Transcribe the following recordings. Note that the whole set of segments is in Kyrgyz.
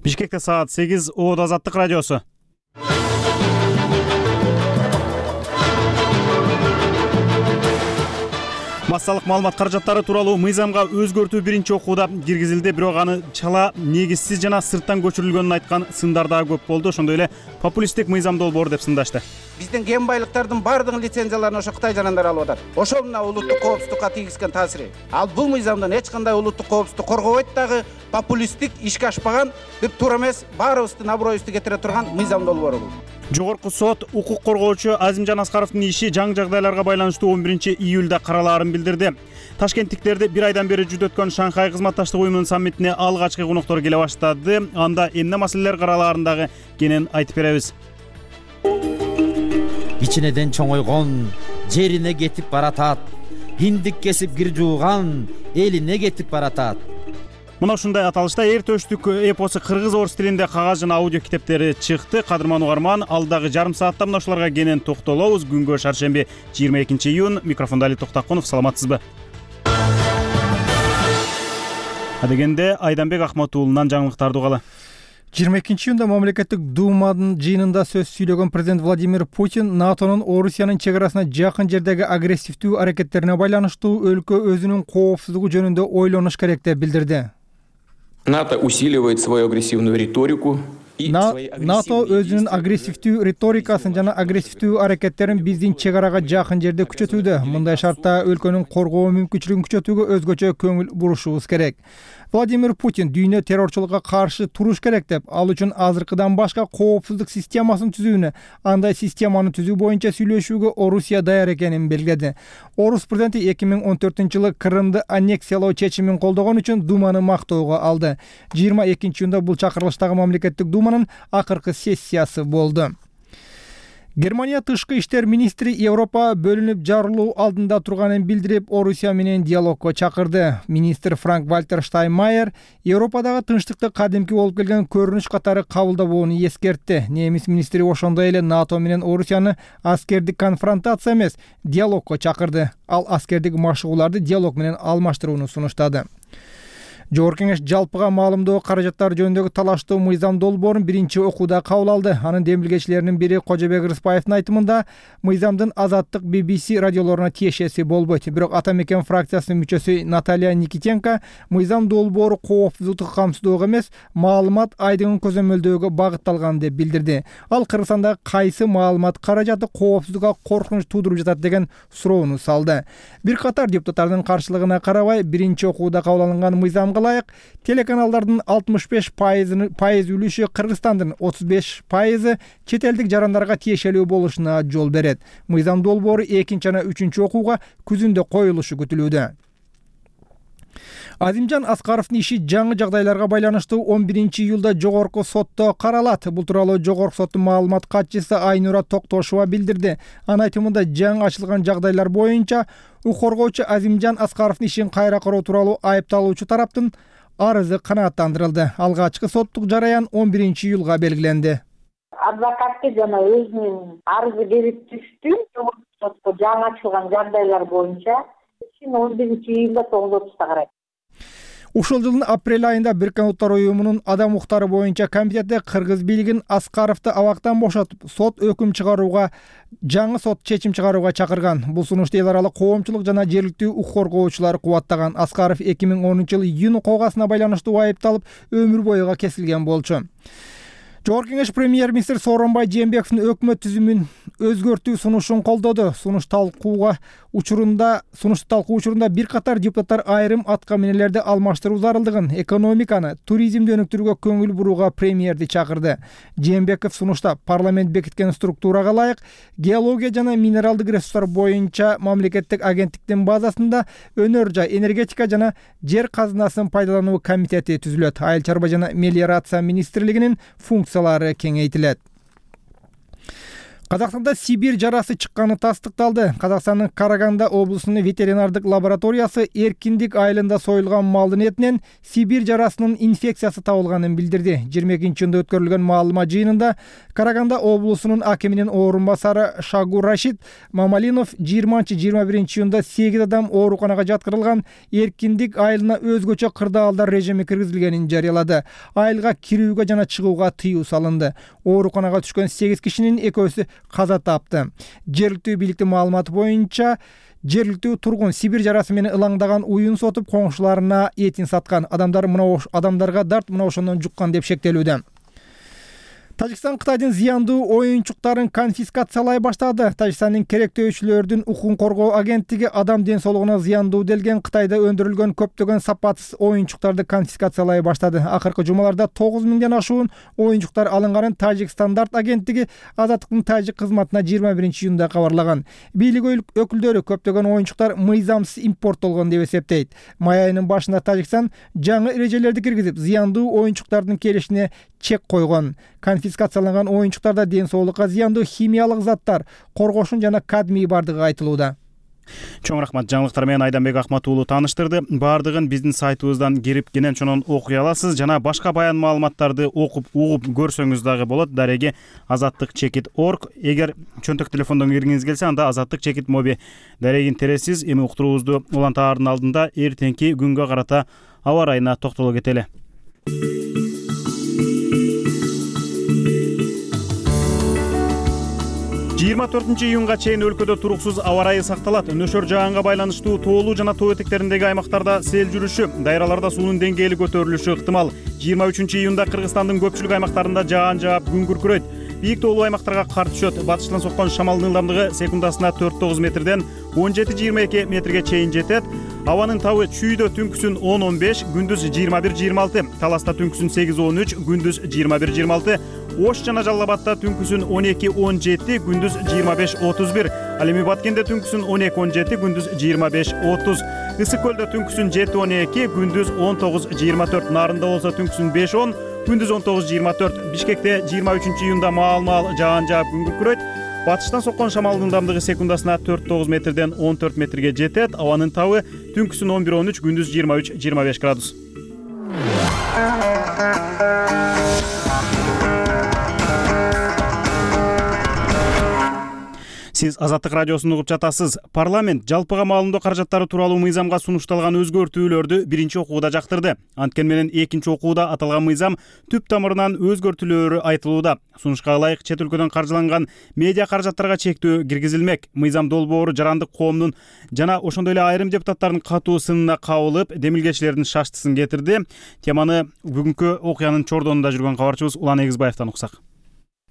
Бишкекте саат 8. Оот Азаттык радиосу. Массалык маалымат каражаттары тууралуу мыйзамга өзгөртүү биринчи окууда киргизилди, бирок аны чала, негизсиз жана сырттан көчүрүлгөнүн айткан сындар дагы көп болду. Ошондой эле популисттик мыйзам долбоору деп сындашты. Биздин кен байлыктардын баардыгын лицензияларын ошо Кытай жарандары алып атат. Ошол мына улуттук коопсуздукка тийгизген таасири. Ал бул мыйзамдан эч кандай улуттук коопсуздукту коргобойт дагы, популисттик, ишке ашпаган, бир туура эмес, баарыбыздын аброюбузду кетире турган мыйзам долбоору бул. Жогорку сот укук коргоочу Азимжан Аскаровдун иши жаңы жагдайларга байланыштуу 11-июлда каралаарын билдирди. Ташкенттиктерди бир айдан бери жүзүп өткөн Шанхай кызматташтык уюмунун саммитине алгачкы коноктору келе баштады. Анда эмне маселелер каралаарындагы кенен айтып беребиз. Ичинеден чоңойгон, жерине кетип баратат. Хиндик кесип кир жууган, элине кетип баратат. Мына ушундай аталышта эр төштүк эпосу кыргыз-орус тилинде кагаз жана аудио китептери чыкты. Кадырман угарман, алдагы жарым саатта мына ушуларга кенен токтолобуз. Күнгө шаршемби 22-июнь. Микрофондо Али Токтакунов. Саламатсызбы? Адегенде Айданбек Ахмат уулунан жаңылыктарды угалы. 22-июнда мамлекеттик Думанын жыйынында сөз сүйлөгөн президент Владимир Путин НАТОнун Орусиянын чек арасына жакын жердеги агрессивдүү аракеттерине байланыштуу өлкө өзүнүн коопсуздугу жөнүндө ойлонуш керек деп билдирди. НАТО усиливает свою агрессивную риторику. НАТО өзүнүн агрессивдүү риторикасын жана агрессивдүү аракеттерин биздин чек арага жакын жерде күчөтүүдө. Мындай шартта өлкөнүн коргоо мүмкүнчүлүгүн күчөтүүгө өзгөчө көңүл бурушубуз керек. Владимир Путин дүйнө террорчулукка каршы туруш керек деп, ал үчүн азыркыдан башка коопсуздук системасын түзүүнү, андай системаны түзүү боюнча сүйлөшүүгө Орусия даяр экенин белгиледи. Орус президенти 2014-жылы Крымды аннексиялоо чечимин колдогон үчүн Думаны мактоого алды. 22-июнда бул чакырылыштагы мамлекеттик Думанын акыркы сессиясы болду. Германия тышкы иштер министри Европа бөлүнүп жарылуу алдында турганын билдирип, Орусия менен диалогко чакырды. Министр Франк-Вальтер Штайнмайер Европадагы тынчтыкты кадимки болуп келген көрүнүш катары кабылдабоону эскертти. Немис министри ошондой эле НАТО менен Орусияны аскердик конфронтация эмес, диалогко чакырды. Ал аскердик машыгууларды диалог менен алмаштырууну сунуштады. Жогорку кеңеш жалпыга маалымдоо каражаттары жөнүндөгү талаштуу мыйзам долбоорун биринчи окууда кабыл алды. Анын демилгечилеринин бири Кожобек Рыспаевдин айтымында, мыйзамдын Азаттык BBC радиолоруна тиешеси болбойт. Бирок Ата мекен фракциясынын мүчөсү Наталья Никитенко мыйзам долбоору коопсуздукту камсыздоого эмес, маалымат айдыгын көзөмөлдөөгө багытталган деп билдирди. Ал Кыргызстанда кайсы маалымат каражаты коопсуздукка коркунуч туудуруп жатат деген суроону салды. Бир катар депутаттардын каршылыгына карабай, биринчи окууда кабыл алынган мыйзам ылайык телеканалдардын 65% үлүшү Кыргызстандын, 35% чет элдик жарандарга тиешелүү болушуна жол берет. Мыйзам долбоору 2 жана 3 окууга күзүндө коюлушу күтүлүүдө. Азимжан Аскаровдун иши жаңы жагдайларга байланыштуу 11-июлда жогорку сотто каралат. Бул тууралуу жогорку соттун маалымат катчысы Айнура Токтошова билдирди. Анын айтымында жаңы ачылган жагдайлар боюнча укук коргоочу Азимжан Аскаровдун ишин кайра кароо тууралуу айыпталуучу тараптын арызы канааттандырылды. Алгачкы соттук жараян 11-июлга белгиленди. Адвокатка жана өзүнүн арызы берип түштү. Жогорку сотко жаңы ачылган жагдайлар боюнча 11-июлда 9:30 карайт. Ушул жылдын апрель айында Бириккен Улуттар уюмунун адам укуктары боюнча комитети кыргыз бийлигин Аскаровду абактан бошотуп, сот өкүм чыгарууга, жаңы сот чечим чыгарууга чакырган. Бул сунушту эл аралык коомчулук жана жергиликтүү укук коргоочулар кубаттаган. Аскаров 2010-жылы июнь окугасына байланыштуу айыпталып, өмүр боюга кесилген болчу. Жогорку кеңеш премьер-министр Сооронбай Жээнбековдун өкмөт түзүмүн өзгөртүү сунушун колдоду. Сунушту талкуу учурунда бир катар депутаттар айрым атка минелерди алмаштыруу зарылдыгын, экономиканы, туризмди өнүктүрүүгө көңүл бурууга премьерди чакырды. Жээнбеков сунушта парламент бекиткен структурага ылайык геология жана минералдык ресурстар боюнча мамлекеттик агенттиктин базасында өнөр жай, энергетика жана жер казынасын пайдалануу комитети түзүлөт. Айыл чарба жана мелиорация министрлигинин функциялары кеңейтилет. Казакстанда Сибирь жарасы чыкканы тастыкталды. Казакстандын Караганда облусунун ветеринардык лабораториясы эркиндик айылында союлган малдын этинен Сибирь жарасынын инфекциясы табылганын билдирди. 22-июнда өткөрүлгөн маалымат жыйынында Караганда облусунун акиминин орун басары Шагур Рашид Мамалинов 20-21-июнда 8 адам ооруканага жаткырылган эркиндик айылына өзгөчө кырдаалдар режими киргизилгенин жарыялады. Айылга кирүүгө жана чыгууга тыюу салынды. Ооруканага түшкөн 8 кишинин экөөсү каза тапты. Жергиликтүү бийликтин маалыматы боюнча жергиликтүү тургун Сибирь жарасы менен ылаңдаган уюн сотуп коңшуларына этин саткан. Адамдарга дарт мына ошондон жуккан деп шектелүүдө. Тажикстан Кытайдын зыяндуу оюнчуктарын конфискациялай баштады. Тажикстандын керектөөчүлөрдүн укугун коргоо агенттиги адам ден соолугуна зыяндуу делген Кытайда өндүрүлгөн көптөгөн сапатсыз оюнчуктарды конфискациялай баштады. Акыркы жумаларда 9000ден ашуун оюнчуктар алынганын Тажик стандарт агенттиги Азаттыктын тажик кызматына 21-июнда кабарлаган. Бийлик өкүлдөрү көптөгөн оюнчуктар мыйзамсыз импорттолгон деп эсептейт. Май айынын башында Тажикстан жаңы эрежелерди киргизип, зыяндуу оюнчуктардын келишине чек койгон. Конфискацияланган оюнчуктарда ден соолукка зыяндуу химиялык заттар, коргошун жана кадмий бардыгы айтылууда. Чоң рахмат. Жаңылыктар менен Айданбек Акмат уулу тааныштырды. Бардыгын биздин сайтыбыздан кирип кенен чонон окуй аласыз жана башка баян маалыматтарды окуп, угуп көрсөңүз дагы болот. Дареги azattik.org. Эгер чөнтөк телефондон киргиңиз келсе, анда azattik моби дарегин тересиз. Эми уктуруубузду улантаардын алдында эртеңки күнгө карата аба ырайына токтоло кетели. 24-июнга чейин өлкөдө туруксуз аба ырайы сакталат. Нөшөр жаганга байланыштуу тоолуу жана тоо этектериндеги аймактарда сел жүрүшү, дайраларда суунун деңгээли көтөрүлүшү ыктымал. 23-июнда Кыргызстандын көпчүлүк аймактарында жаан жаап күн күркүрөйт. Бийик тоолуу аймактарга кар түшөт. Батыштан соккон шамалдын ылдамдыгы секундасына 4-9 метрден 17-22 метрге чейин жетет. Абанын табы чүйдө түнкүсүн 10-15, күндүз 21-26, Таласта түнкүсүн 8-13, күндүз 21-26, Ош жана Жалал Абадта түнкүсүн 12-17, күндүз 25-31, ал эми Баткенде түнкүсүн 12-17, күндүз 25-30, Ысык көлдө түнкүсүн 7-12, күндүз 19-24, Нарында болсо түнкүсүн 5-10, күндүз 19-24, Бишкекте 23-июнда маал-маал жаан жаап күн күркүрөйт. Батыштан соккон шамалдын ылдамдыгы секундасына 4-9 метрден 14 метрге жетет. Абанын табы түнкүсүн 11-13, күндүз 23-25 градус. Сиз Азаттык радиосун угуп жатасыз. Парламент жалпыга маалымдоо каражаттары тууралуу мыйзамга сунушталган өзгөртүүлөрдү биринчи окууда жактырды. Анткени менен экинчи окууда аталган мыйзам түп тамырынан өзгөртүүлөрү айтылууда. Сунушка ылайык чет өлкөдөн каржыланган медиа каражаттарга чектөө киргизилмек. Мыйзам долбоору жарандык коомдун жана ошондой эле айрым депутаттардын катуу сынына кабылып, демилгечилердин шаштысын кетирди. Теманы бүгүнкү окуянын чордонунда жүргөн кабарчыбыз Улан Эгизбаевден уксак.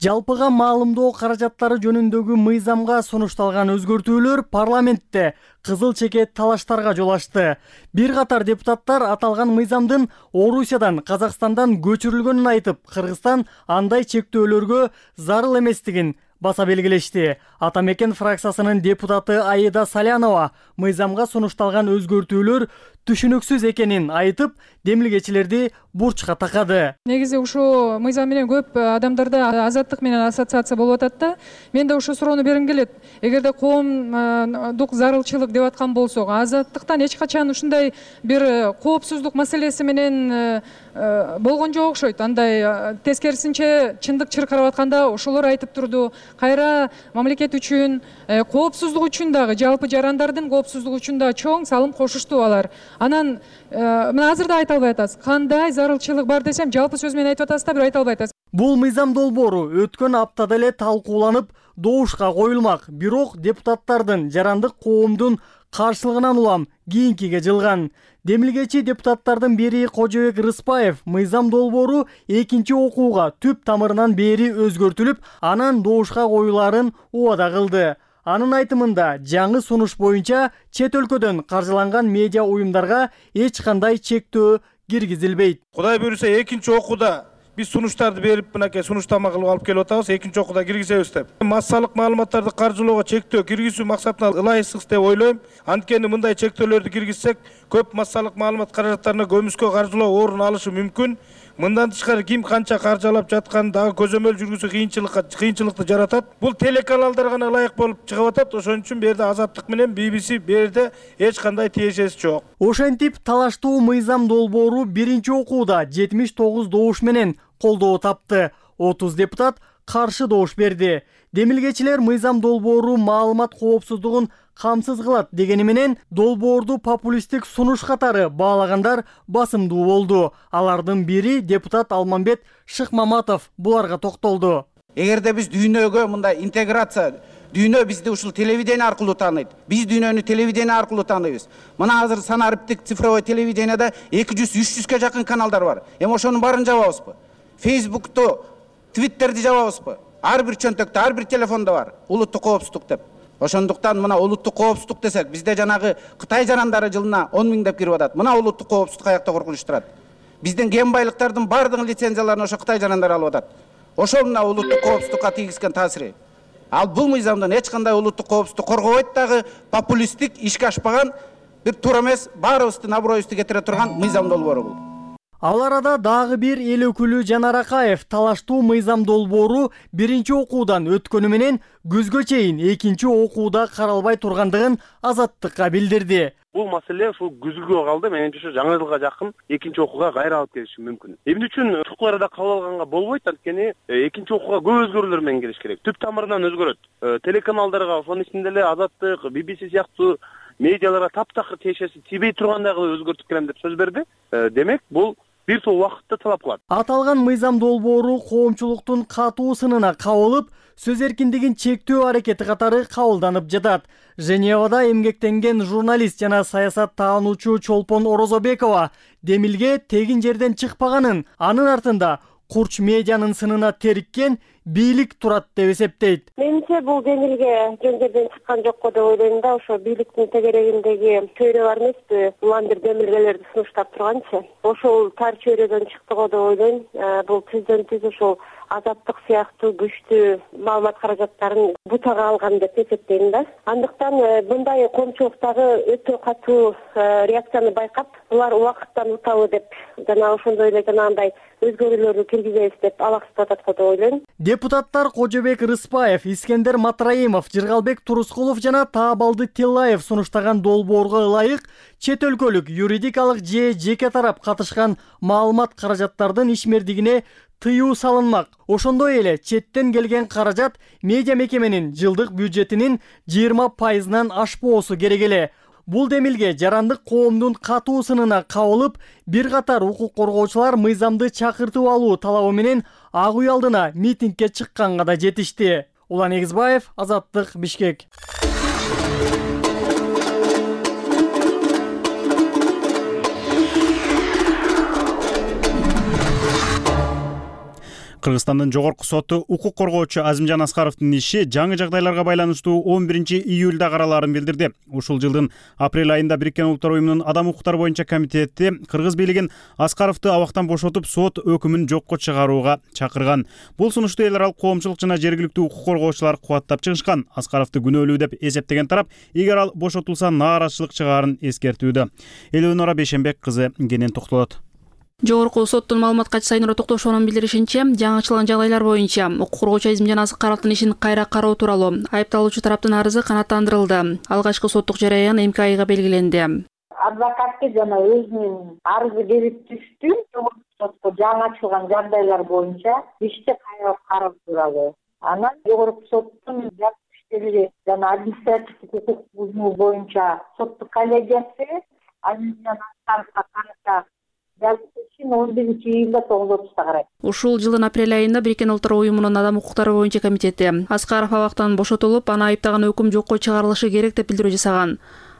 Жалпыга маалымдоо каражаттары жөнүндөгү мыйзамга сунушталган өзгөртүүлөр парламентте кызыл чекет талаштарга жол ачты. Бир катар депутаттар аталган мыйзамдын Орусиядан, Казакстандан көчүрүлгөнүн айтып, Кыргызстан андай чектөөлөргө зарыл эместигин баса белгилешти. Атамекен фракциясынын депутаты Аида Салянова мыйзамга сунушталган өзгөртүүлөр түшүнүксүз экенин айтып, демилгечилерди бурчка такады. Негизи ушул мыйзам менен көп адамдарда азаттык менен ассоциация болуп атат да. Мен да ушул суроону бергим келет. Эгерде коомдук зарылчылык деп аткан болсок, азаттыктан эч качан ушундай бир коопсуздук маселеси менен болгон жок окшойт. Андай тескерисинче чындык чыркырап атканда ошолор айтып турду. Кайра мамлекет үчүн, коопсуздук үчүн дагы, жалпы жарандардын коопсуздугу үчүн да чоң салым кошушту алар. Анан мына азыр да айта албай атасыз. Кандай зарылчылык бар десем, жалпы сөз менен айтып атасыз да, бир айта албай атасыз. Бул мыйзам долбоору өткөн аптада эле талкууланып, добушка коюлмак. Бирок депутаттардын жарандык коомдун каршылыгынан улам кийинкиге жылган. Демилгечи депутаттардын бири Кожобек Рыспаев мыйзам долбоору экинчи окууга түп тамырынан бери өзгөртүлүп, анан добушка коюларын убада кылды. Анын айтымында жаңы сунуш боюнча чет өлкөдөн каржыланган медиа уюмдарга эч кандай чектөө киргизилбейт. Кудай буйруса экинчи окууда биз сунуштарды берип, мынакей сунуштама кылып алып келип атабыз, экинчи окууда киргизебиз деп. Массалык маалыматтарды каржылоого чектөө киргизүү максатына ылайыксыз деп ойлойм. Анткени мындай чектөөлөрдү киргизсек, көп массалык маалымат каражаттарына көмүскө каржылоо орун алышы мүмкүн. Мындан тышкары ким канча каржылап жатканын дагы көзөмөл жүргүзүү кыйынчылыкты жаратат. Бул телеканалдар гана ылайык болуп чыгып атат. Ошон үчүн бу жерде Азаттык менен BBC бу жерде эч кандай тиешеси жок. Ошентип талаштуу мыйзам долбоору биринчи окууда 79 добуш менен колдоо тапты. 30 депутат каршы добуш берди. Демилгечилер мыйзам долбоору маалымат коопсуздугун камсыз кылат дегени менен долбоорду популисттик сунуш катары баалагандар басымдуу болду. Алардын бири депутат Алмамбет Шыкмаматов буларга токтолду. Эгерде биз дүйнөгө мындай интеграция, дүйнө бизди ушул телевидение аркылуу тааныйт. Биз дүйнөнү телевидение аркылуу тааныйбыз. Мына азыр санариптик цифровой телевидениеде 200-300ке жакын каналдар бар. Ошонун баарын жабабызбы? Facebook'tu, Twitter'ди жабабызбы? Ар бир чөнтөктө, ар бир телефондо бар. Улуттук коопсуздук деп. Ошондуктан мына улуттук коопсуздук десек, бизде жанагы Кытай жарандары жылына 10 000 деп кирип атат. Мына улуттук коопсуздук каякта коркунуштурат. Биздин кен байлыктардын бардыгын лицензияларын ошо Кытай жарандары алып атат. Ошол мына улуттук коопсуздукка тийгизген таасири. Ал бул мыйзамдан эч кандай улуттук коопсуздук коргобойт дагы, популисттик, ишке ашпаган бир туура эмес, баарыбыздын аброюбузду кетире турган мыйзам долбоору бул. Ал арада дагы бир эл өкүлү Жанар Акаев талаштуу мыйзам долбоору биринчи окуудан өткөнү менен күзгө чейин экинчи окууда каралбай тургандыгын Азаттыкка билдирди. Бул маселе ушул күзгүгө калды. Менимче ушу жаңы жылга жакын экинчи окууга кайра алып келиши мүмкүн. Эмне үчүн укуктарды кабыл алганга болбойт? Анткени экинчи окууга көп өзгөрүүлөр менен келиш керек. Түп тамырынан өзгөрөт. Телеканалдарга, ошонун ичинде эле Азаттык, BBC сыяктуу медиаларга таптакыр тиешеси тийбей тургандагы өзгөртүп келем деп сөз берди. Демек, бул бир топ убакытты талап кылат. Аталган мыйзам долбоору коомчулуктун катуу сынына кабылып, сөз эркиндигин чектөө аракети катары кабылданып жатат. Женевада эмгектенген журналист жана саясат таануучу Чолпон Орозобекова демилге тегин жерден чыкпаганын, анын артында курч медианын сынына териккен бийлик турат деп эсептейт. Менимче бул демилге жөн жерден чыккан жокко деп ойлойм да, ошо бийликтин тегерегиндеги чөйрө бар эмеспи? Улам бир демилгелерди сунуштап турганчы. Ошол тар чөйрөдөн чыкты го деп ойлойм. Бул түздөн-түз ошол Азаттык сыяктуу күчтүү маалымат каражаттарын бутага алган деп эсептейм да. Андыктан мындай коомчулуктагы өтө катуу реакцияны байкап, булар убакыттан утабы деп жана ошондой эле жанагындай өзгөрүүлөрдү киргизебиз деп алаксытып атат го деп ойлойм. Депутаттар Кожобек Рыспаев, Искендер Матраимов, Жыргалбек Турускулов жана Таабалды Тиллаев сунуштаган долбоорго ылайык чет өлкөлүк юридикалык же жеке тарап катышкан маалымат каражаттардын ишмердигине тыюу салынмак. Ошондой эле четтен келген каражат медиа мекеменин жылдык бюджетинин 20%-нан ашпоосу керек эле. Бул демилге жарандык коомдун катуу сынына кабылып, бир катар укук коргоочулар мыйзамды чакыртып алуу талабы менен Ак үй алдына митингге чыкканга да жетишти. Улан Эгизбаев, Азаттык, Бишкек. Кыргызстандын жогорку соту укук коргоочу Азимжан Аскаровдун иши жаңы жагдайларга байланыштуу 11-июлда каралаарын билдирди. Ушул жылдын апрель айында Бириккен Улуттар уюмунун адам укуктары боюнча комитети кыргыз бийлигин Аскаровду абактан бошотуп, сот өкүмүн жокко чыгарууга чакырган. Бул сунушту эл аралык коомчулук жана жергиликтүү укук коргоочулар кубаттап чыгышкан. Аскаровду күнөөлүү деп эсептеген тарап, эгер ал бошотулса нааразычылык чыгаарын эскертүүдө. Элөнора Бейшенбек кызы кенен токтолот. Жогорку соттун маалыматка Сайнура Токтошованын билдиришинче, жаңы ачылган жагдайлар боюнча укук коргоочу Азимжан Аскаровдун ишин кайра кароо тууралуу айыпталуучу тараптын арызы канааттандырылды. Алгачкы соттук жараян МКИга белгиленди. Адвокатты жана өзүнүн арызы берип түштү. Сотко жаңы ачылган жагдайлар боюнча ишти кайра кароо тууралуу. Анан жогорку соттун иштери жана административдик укук бузуу боюнча соттук коллегиясы Азимжан Аскаровго карата 11-июлда 9:30-да карайт. Ушул жылдын апрель айында Бириккен Улуттар уюмунун адам укуктары боюнча комитети Аскаров абактан бошотулуп, аны айыптаган өкүм жокко чыгарылышы керек деп билдирүү жасаган.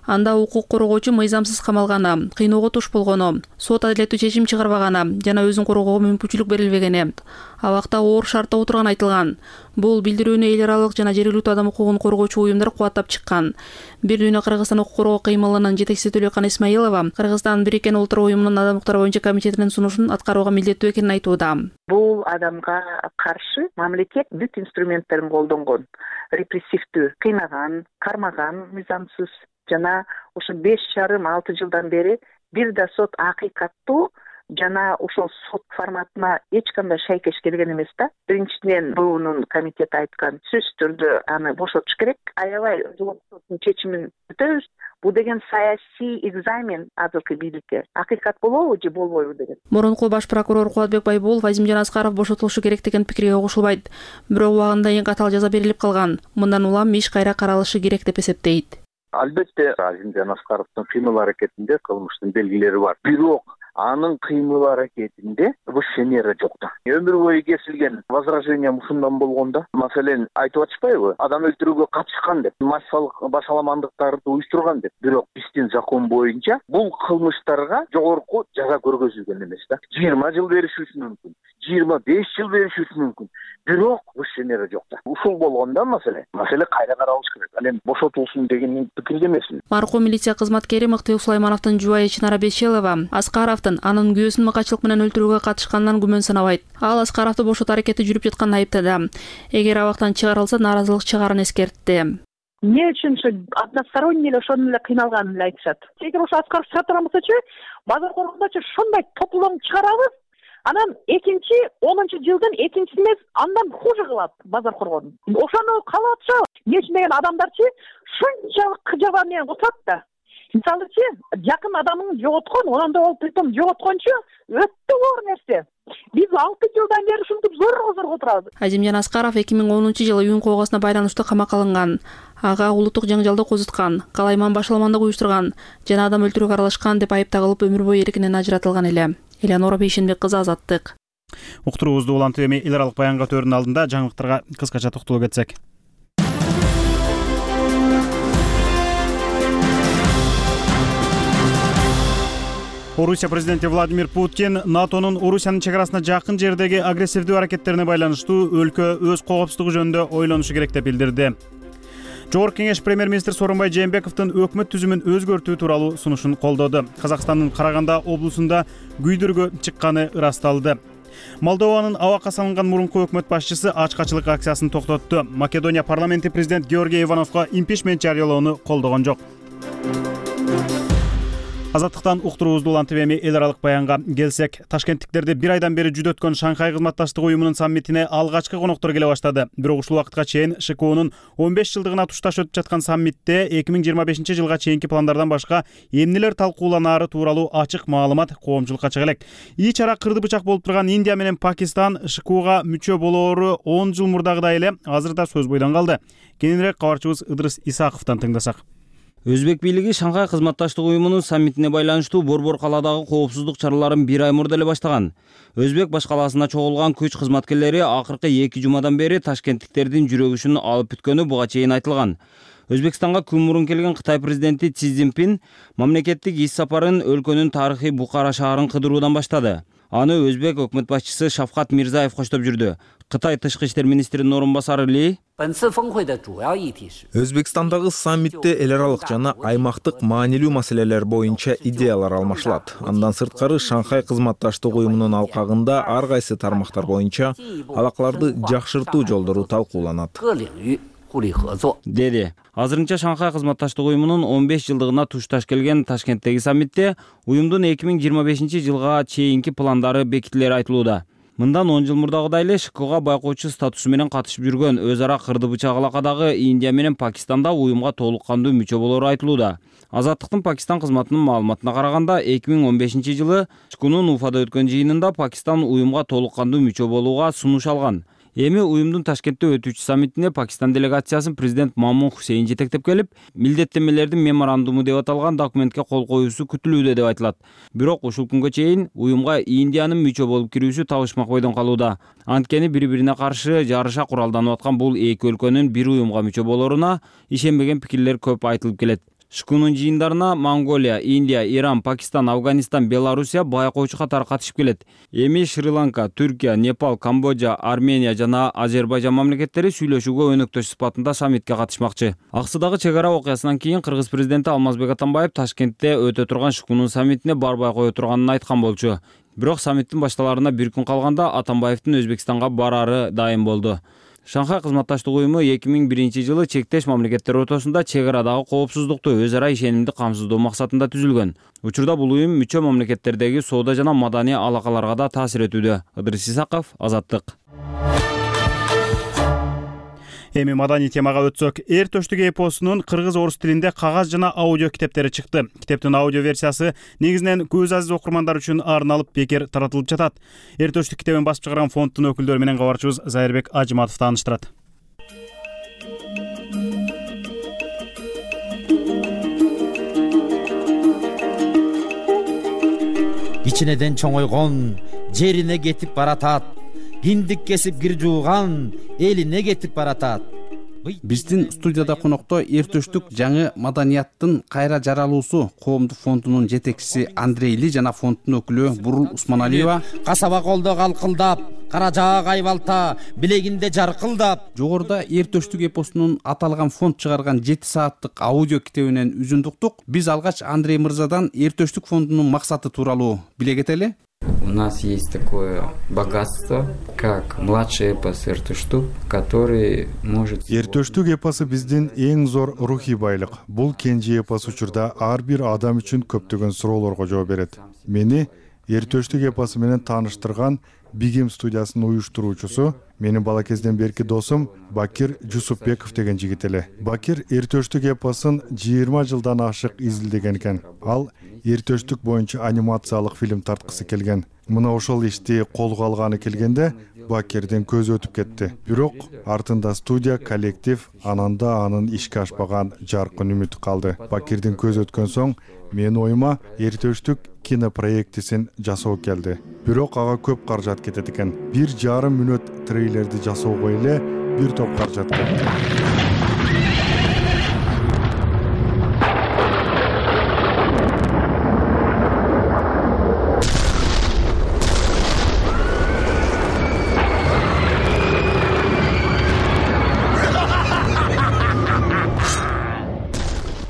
Анда укук коргоочу мыйзамсыз камалганы, кыйноого туш болгону, сот адилеттүү чечим чыгарбаганы жана өзүн коргоого мүмкүнчүлүк берилбегени, абакта оор шартта отурганы айтылган. Бул билдирүүнү эл аралык жана жергиликтүү адам укугун коргоочу уюмдар кубаттап чыккан. Бир дүйнө Кыргызстан укук коргоо кыймылынын жетекчиси Төлөкан Исмаилова Кыргызстан Бириккен Улуттар уюмунун адам укуктары боюнча комитетинин сунушун аткарууга милдеттүү экенин айтууда. Бул адамга каршы мамлекет бүт инструменттерин колдонгон. Репрессивдүү, кыйнаган, кармаган мыйзамсыз жана ушу 5,5-6 жылдан бери бир да сот акыйкаттуу жана ошол сот форматына эч кандай шайкеш келген эмес да. Биринчиден буунун комитети айткан сөзсүз түрдө аны бошотуш керек. Аябай жогорку соттун чечимин күтөбүз. Бул деген саясий экзамен азыркы бийликке. Акыйкат болобу же болбойбу деген. Мурунку баш прокурор Кубатбек Байбулов Азимжан Аскаров бошотулушу керек деген пикирге кошулбайт. Бирок убагында эң катаал жаза берилип калган. Мындан улам иш кайра каралышы керек деп эсептейт. Албетте Азимжан Аскаровдун кыймыл-аракетинде кылмыштын белгилери бар. Бирок анын кыймыл-аракетинде вышенера жок да. Өмүр бою кесилген возражение ушундан болгондо, маселен, айтып атышпайбы? Адам өлтүрүүгө катышкан деп, массалык башаламандыктарды уюштурган деп. Бирок биздин закон боюнча бул кылмыштарга жогорку жаза көргөзүлгөн эмес да. 20 жыл беришиши мүмкүн, 25 жыл беришиши мүмкүн. Бирок вышенера жок да. Ушул болгондо маселе кайра каралыш керек. Ал эми бошотулсын деген пикирде эмесмин. Маркум милиция кызматкери Мыктыбек Сулаймановдун жубайы Чынара Бешелова Аскаровдун анын күйөөсүн мыкачылык менен өлтүрүүгө катышканынан күмөн санабайт. Ал Аскаровду бошотуу аракети жүрүп жатканын айыптады. Эгер абактан чыгарылса, нааразылык чыгарын эскертти. Эмне үчүн ошо односторонний эле ошону эле кыйналганын эле айтышат. Эгер ошо Аскаров чыга турганбысачы, базар коргондочу ушундай топлом чыгарабыз, анан 2010-жылдын 2-синде андан хуже кылат базар коргону. Ошону каалап атышабы? Эмне үчүн деген адамдарчы шунчалык кыжаба менен отурат да. Мисалычы, жакын адамын жоготкон, онда ол притом жоготкончу өтө оор нерсе. Биз 6 жылдан бери ушинтип зорго отурабыз. Азимжан Аскаров 2010-жылы үйүн койгосуна байланыштуу камакка алынган. Ага улуттук жаңжалды козуткан, калайман башаламандык уюштурган жана адам өлтүрүүгө аралашкан деп айып тагылып өмүр бою эркинен ажыратылган эле. Элеонора Бейшенбек кызы, Азаттык. Уктуруубузду улантып эми эл аралык баянга өтөөрүнүн алдында жаңылыктарга кыскача токтолуп кетсек. Орусия президенти Владимир Путин НАТОнун Орусиянын чек арасына жакын жердеги агрессивдүү аракеттерине байланыштуу өлкө өз коопсуздугу жөнүндө ойлонушу керек деп билдирди. Жогорку кеңеш премьер-министр Сооронбай Жээнбековдун өкмөт түзүмүн өзгөртүү тууралуу сунушун колдоду. Казакстандын Караганда облусунда күйдүргө чыкканы ырасталды. Молдованын абакка салынган мурунку өкмөт башчысы ачкачылык акциясын токтотту. Македония парламенти президент Георгий Ивановго импичмент жарыялоону колдогон жок. Азаттыктан уктуруубузду улантып эми эл аралык баянга келсек, ташкенттиктерди бир айдан бери жүдөткөн Шанхай кызматташтык уюмунун саммитине алгачкы коноктор келе баштады. Бирок ушул убакытка чейин ШКУнун 15 жылдыгына тушташ өтүп жаткан саммитте 2025-жылга чейинки пландардан башка эмнелер талкууланаары тууралуу ачык маалымат коомчулукка чыга элек. Ичара кырды бычак болуп турган Индия менен Пакистан ШКУга мүчө болоору 10 жыл мурдагыдай эле азыр да сөз бойдон калды. Кененирээк кабарчыбыз Ыдырыс Исаковдон тыңдасак. Өзбек бийлиги Шанхай кызматташтык уюмунун саммитине байланыштуу борбор калаадагы коопсуздук чараларын бир ай мурда эле баштаган. Өзбек баш калаасына чогулган күч кызматкерлери акыркы 2 жумадан бери ташкенттиктердин жүрөгүшүн алып бүткөнү буга чейин айтылган. Өзбекстанга күн мурун келген Кытай президенти Си Цзиньпин мамлекеттик иш сапарын өлкөнүн тарыхый Бухара шаарын кыдыруудан баштады. Аны өзбек өкмөт башчысы Шавкат Мирзаев коштоп жүрдү. Кытай тышкы иштер министринин орун басары Ли Өзбекстандагы саммитте эл аралык жана аймактык маанилүү маселелер боюнча идеялар алмашылат. Андан сырткары Шанхай кызматташтык уюмунун алкагында ар кайсы тармактар боюнча алакаларды жакшыртуу жолдору талкууланат. Деди. Азырынча Шанхай кызматташтык уюмунун 15 жылдыгына тушташ келген Ташкенттеги саммитте уюмдун 2025-жылга чейинки пландары бекитилери айтылууда. Мындан 10 жыл мурдагыдай эле ШКУга байкоочу статусу менен катышып жүргөн өз ара кырды бычак алакадагы Индия менен Пакистанда уюмга толук кандуу мүчө болоору айтылууда. Азаттыктын Пакистан кызматынын маалыматына караганда 2015-жылы ШКУнун Уфада өткөн жыйынында Пакистан уюмга толук кандуу мүчө болууга сунуш алган. Эми уюмдун Ташкентте өтүүчү саммитине Пакистан делегациясын президент Мамун Хусейн жетектеп келип, милдеттенмелердин меморандуму деп аталган документке кол коюусу күтүлүүдө деп айтылат. Бирок ушул күнгө чейин уюмга Индиянын мүчө болуп кирүүсү табышмак бойдон калууда. Анткени бири-бирине каршы жарыша куралданып аткан бул эки өлкөнүн бир уюмга мүчө болооруна ишенбеген пикирлер көп айтылып келет. ШКУнун жыйындарына Монголия, Индия, Иран, Пакистан, Афганистан, Белоруссия байкоочу катары катышып келет. Эми Шри-Ланка, Түркия, Непал, Камбоджа, Армения жана Азербайжан мамлекеттери сүйлөшүүгө өнөктөш сыпатында саммитке катышмакчы. Аксыдагы чек ара окуясынан кийин кыргыз президенти Алмазбек Атамбаев Ташкентте өтө турган ШКУнун саммитине барбай кое турганын айткан болчу. Бирок саммиттин башталарына бир күн калганда Атамбаевдин Өзбекстанга барары дайым болду. Шанхай кызматташтык уюму 2001-жылы чектеш мамлекеттер ортосунда чек арадагы коопсуздукту өз ара ишенимди камсыздоо максатында түзүлгөн. Учурда бул уюм мүчө мамлекеттердеги соода жана маданий алакаларга да таасир этүүдө. Ыдырыс Исаков, Азаттык. Эми маданий темага өтсөк, Эр төштүк эпосунун кыргыз орус тилинде кагаз жана аудио китептери чыкты. Китептин аудио версиясы негизинен көз азиз окурмандар үчүн арналып бекер таратылып жатат. Эр төштүк китебин басып чыгарган фонддун өкүлдөрү менен кабарчыбыз Зайырбек Ажыматов тааныштырат. Кичинеден чоңойгон жерине кетип баратат. Хиндик кесип кир жууган элине кетип баратат. Биздин студияда конокто Эр төштүк жаңы маданияттын кайра жаралуусу коомдук фондунун жетекчиси Андрей Ли жана фонддун өкүлү Бурул Усманалиева. Касаба колдо калкылдап, кара жаак айбалта, билегинде жаркылдап. Жогоруда Эр төштүк эпосунун аталган фонд чыгарган 7 сааттык аудио китебинен үзүндү уктук. Биз алгач Андрей мырзадан Эр төштүк фондунун максаты тууралуу биле кетели. У нас есть такое богатство, как младший эпос Эр төштүк, который может... Эр төштүк эпосу биздин эң зор рухий байлык. Бул кенже эпос учурда ар бир адам үчүн көптөгөн суроолорго жооп берет. Мени Эр төштүк эпосу менен тааныштырган Бигим студиясынын уюштуруучусу менин бала кезден берки досум Бакир Жусупбеков деген жигит эле. Бакир Эр төштүк эпосун 20 жылдан ашык изилдеген экен. Ал Эр төштүк боюнча анимациялык фильм тарткысы келген. Мына ошол ишти колго алганы келгенде Бакирдин көзү өтүп кетти. Бирок артында студия, коллектив, ананда анын ишке ашпаган жаркын үмүт калды. Бакирдин көзү өткөн соң менин оюма Эр төштүк кинопроектисин жасоо келди. Бирок ага көп каражат кетет экен. 1,5 мүнөт трейлерди жасоого эле бир топ каражат кетти.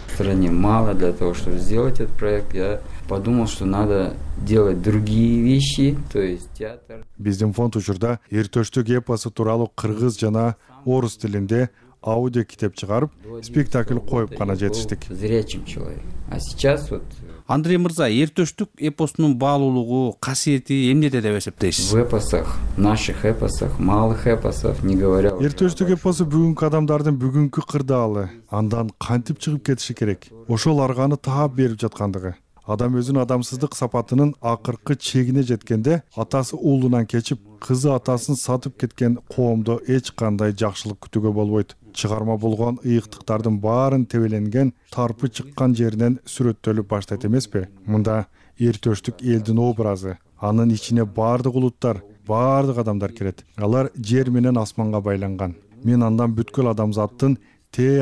В стране мало для того, чтобы сделать этот проект. Я подумал, что надо делать другие вещи, то есть театр. Биздин фонд учурда Эр төштүк эпосу тууралуу кыргыз жана орус тилинде аудио китеп чыгарып, спектакль коюп гана жетиштик. Зрячим человек. А сейчас вот... Андрей мырза, Эр төштүк эпосунун баалуулугу, касиети эмнеде деп эсептейсиз? В эпосах, наших эпосах, малых эпосах, не говоря... Эр төштүк эпосу бүгүнкү адамдардын бүгүнкү кырдаалы. Андан кантип чыгып кетиши керек? Ошол арганы таап берип жаткандыгы. Адам өзүнүн адамсыздык сапатынын акыркы чегине жеткенде, атасы уулунан кечип, кызы атасын сатып кеткен коомдо эч кандай жакшылык күтүүгө болбойт. Чыгарма болгон ыйыктыктардын баарын тебеленген, тарпы чыккан жеринен сүрөттөлүп баштайт эмеспи? Мында Эр төштүк элдин образы, анын ичине баардык улуттар, баардык адамдар кирет. Алар жер менен асманга байланган. Мен андан бүткүл адамзаттын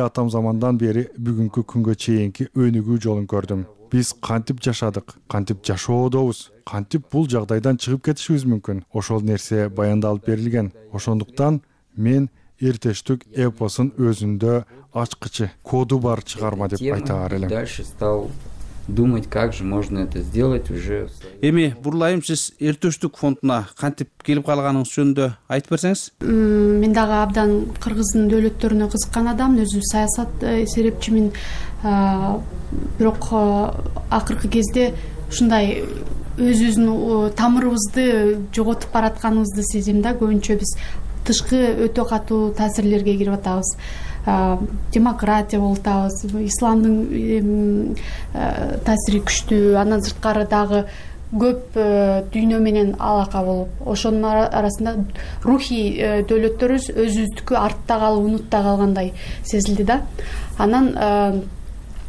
атам замандан бери бүгүнкү күнгө чейинки өнүгүү жолун көрдүм. Биз кантип жашадык, кантип жашоодобуз, кантип бул жагдайдан чыгып кетишибиз мүмкүн. Ошол нерсе баяндалып берилген. Ошондуктан мен Эр төштүк эпосун өзүндө ачкычы, коду бар чыгарма деп айтаар элем. Дальше стал думать, как же можно это сделать уже. Эми Бурлайым, сиз Эр төштүк фондуна кантип келип калганыңыз жөнүндө айтып берсеңиз? Мен дагы абдан кыргыздын дөөлөттөрүнө кызыккан адаммын, өзү саясат серепчимин. Бирок акыркы кезде ушундай өзүбүздүн тамырыбызды жоготуп баратканыбызды сезем да. Көбүнчө биз тышкы өтө катуу таасирлерге кирип атабыз. Демократия болуп атабыз, исламдын таасири күчтүү, андан сырткары дагы көп дүйнө менен алака болуп, ошонун арасында рухий дөөлөттөрүбүз өзүбүздүкү артта калып, унутта калгандай сезилди да. Анан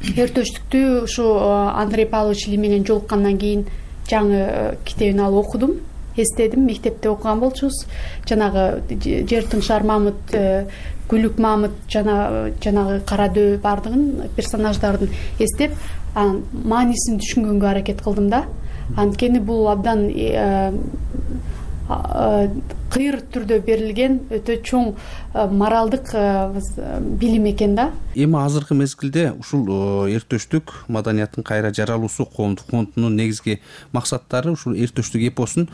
Эр төштүктү ушу Андрей Павлович Ли менен жолуккандан кийин жаңы китебин алып окудум, эстедим. Мектепте окуган болчубуз. Жанагы Жер тыңшар Мамыт, Күлүк Мамыт, жанагы Карадөб бардыгын персонаждардын эстеп, анын маанисин түшүнгөнгө аракет кылдым да. Анткени бул абдан кыйыр түрдө берилген өтө чоң моралдык билим экен да. Эми азыркы мезгилде ушул эртөштүк маданияттын кайра жаралуусу коомдук фондунун негизги максаттары ушул эртөштүк эпосун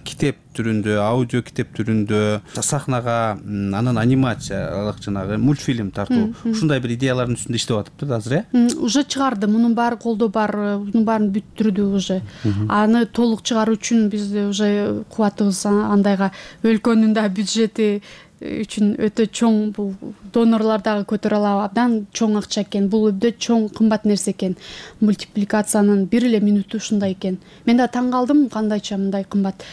китеп түрүндө, аудио китеп түрүндө сахнага, анан анимациялык жанагы мультфильм тартуу ушундай бир идеялардын үстүндө иштеп атыптыр азыр, Уже чыгарды, мунун баары колдо бар, мунун баарын бүттүрдү уже. Аны толук чыгаруу үчүн биз уже кубатыбыз андайга өлкөнүн да бюджети үчүн өтө чоң, бул донорлор дагы көтөрө алабы, абдан чоң акча экен. Бул өтө чоң, кымбат нерсе экен. Мультипликациянын бир эле минуту ушундай экен. Мен да таң калдым, кандайча мындай кымбат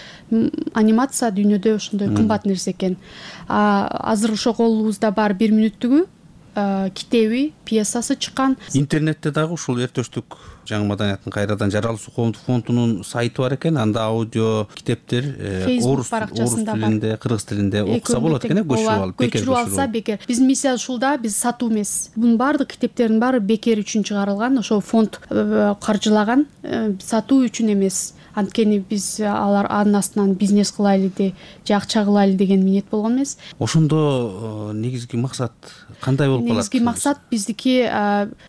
анимация дүйнөдө ошондой кымбат нерсе экен. Азыр ошо колубузда бар 1 мүнөттүгү китеби, пьесасы чыккан. Интернетте дагы ушул эртөштүк жаңы маданияттын кайрадан жаралуусу коомдук фондунун сайты бар экен. Анда аудио китептер орус тилинде, кыргыз тилинде окуса болот экен, көчүрүп алса бекер. Биздин миссия ушул да, биз сатуу эмес. Бунун баардык китептердин баары бекер үчүн чыгарылган, ошо фонд каржылаган, сатуу үчүн эмес. Анткени биз анын астынан бизнес кылайлы же акча кылайлы деген ниет болгон эмес. Ошондо негизги максат кандай болуп калат? Негизги максат биздики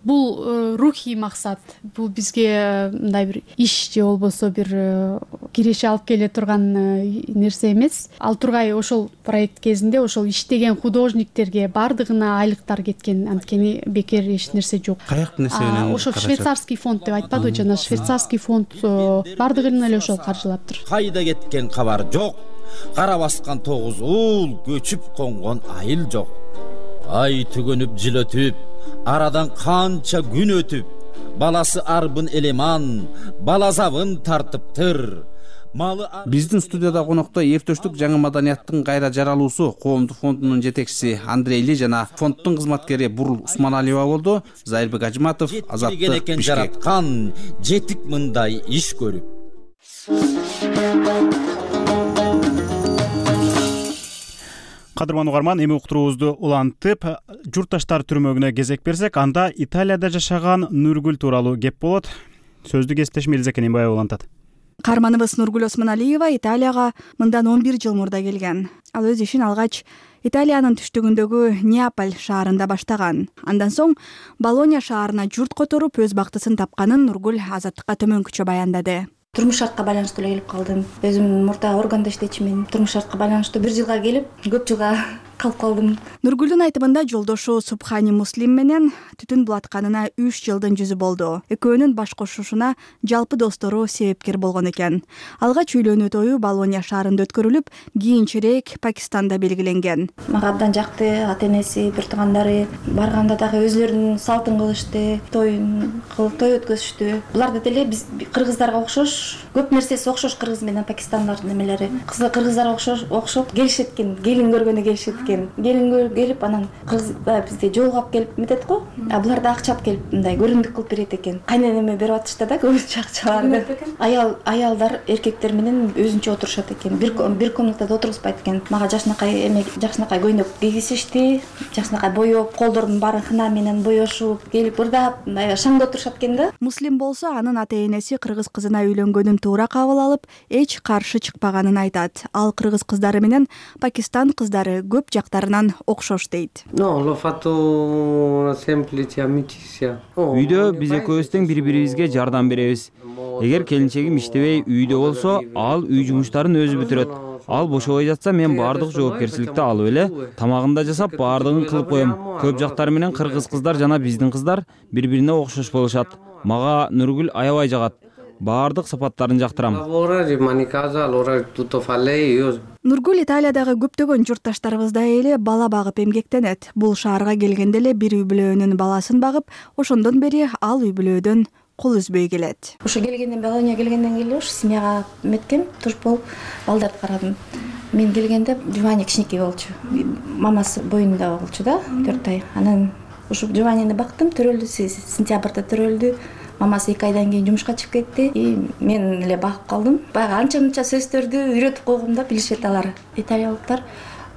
бул рухий максат. Бул бизге мындай бир иш же болбосо бир киреше алып келе турган нерсе эмес. Ал тургай ошол проект кезинде ошол иштеген художниктерге баардыгына айлыктар кеткен. Анткени бекер эч нерсе жок. Каяктын эсебинен? Ошол швейцарский фонд деп айтпадыбы жана, швейцарский фонд баардыгын эле ошол каржылаптыр. Кайда кеткен кабар жок, кара баскан тогуз уул, көчүп конгон айыл жок. Ай түгөнүп жыл өтүп, арадан канча күн өтүп, баласы арбын элеман, балазабын тартыптыр. Биздин студияда конокто эртөштүк жаңы маданияттын кайра жаралуусу коомдук фондунун жетекчиси Андрей Ли жана фонддун кызматкери Бурул Усманалиева болду. Зайырбек Ажыматов, Азаттык, Бишкек. Жараткан жетик мындай иш көрүп. Кадырман угарман, эми уктуруубузду улантып, журтташтар түрмөгүнө кезек берсек, анда Италияда жашаган Нургүл тууралуу кеп болот. Сөздү кесиптешим Элиза Кененбаева улантат. Каарманыбыз Нургүл Осмоналиева Италияга мындан 11 жыл мурда келген. Ал өз ишин алгач Италиянын түштүгүндөгү Неаполь шаарында баштаган. Андан соң Болония шаарына журт которуп өз бактысын тапканын Нургүл Азаттыкка төмөнкүчө баяндады. Турмуш шартка байланыштуу эле келип калдым. Өзүм мурда органда иштечимин. Турмуш шартка байланыштуу 1 жылга келип, көп жылга калып калдым. Нургүлдүн айтымында жолдошу Субхани Муслим менен түтүн булатканына 3 жылдын жүзү болду. Экөөнүн баш кошушуна жалпы достору себепкер болгон экен. Алгач үйлөнүү тою Болония шаарында өткөрүлүп, кийинчерээк Пакистанда белгиленген. Мага абдан жакты, ата-энеси, бир туугандары барганда дагы өзлөрүнүн салтын кылышты, той өткөзүштү. Булар деле биз кыргыздарга окшош, көп нерсеси окшош кыргыз менен Пакистандын немелери. Кыргыздарга окшоп келишет экен, келин көргөнү келишет экен. Келин келип, анан кыргыздар бизде жолугап келип метет го, а булар да акча алып келип мындай көрүндүк кылып берет экен. Кайненеме берип атышты да көбүнчө акчаларды. Аялдар эркектер менен өзүнчө отурушат экен. Бир комнатада отургузбайт экен. Мага жакшынакай көйнөк кийгизишти, жакшынакай боеп, колдордун баарын хына менен боешуп, келип ырдап, шаңда отурушат экен да. Муслим болсо анын ата-энеси кыргыз кызына үйлөнгөнүн туура кабыл алып, эч каршы чыкпаганын айтат. Ал кыргыз кыздары менен Пакистан кыздары көп жактарынан окшош дейт. Үйдө биз экөөбүз тең бири-бирибизге жардам беребиз. Эгер келинчегим иштебей үйдө болсо, ал үй жумуштарын өзү бүтүрөт. Ал бошобой жатса, мен баардык жоопкерчиликти алып эле тамагын да жасап, баардыгын кылып коем. Көп жактары менен кыргыз кыздар жана биздин кыздар бири-бирине окшош болушат. Мага Нургүл аябай жагат. Баардык сапаттарын жактырам. Нургүл Италиядагы көптөгөн журтташтарыбыздай эле бала багып эмгектенет. Бул шаарга келгенде эле бир үй бүлөөнүн баласын багып, ошондон бери ал үй бүлөөдөн кол үзбөй келет. Ошо келгенден, Болония келгенден кийин ушу семьяга меткем, туш болуп балдарды карадым. Мен келгенде Жувани кичинекей болчу. Мамасы боюнда болчу да, 4 ай. Анан ушу Жуванини бактым, төрөлдү, сентябрда төрөлдү. Мамасы 2 айдан кийин жумушка чыгып кетти. Мен эле багып калдым. Баягы анча-мынча сөздөрдү үйрөтүп койгом да, билишет алар. Италиялыктар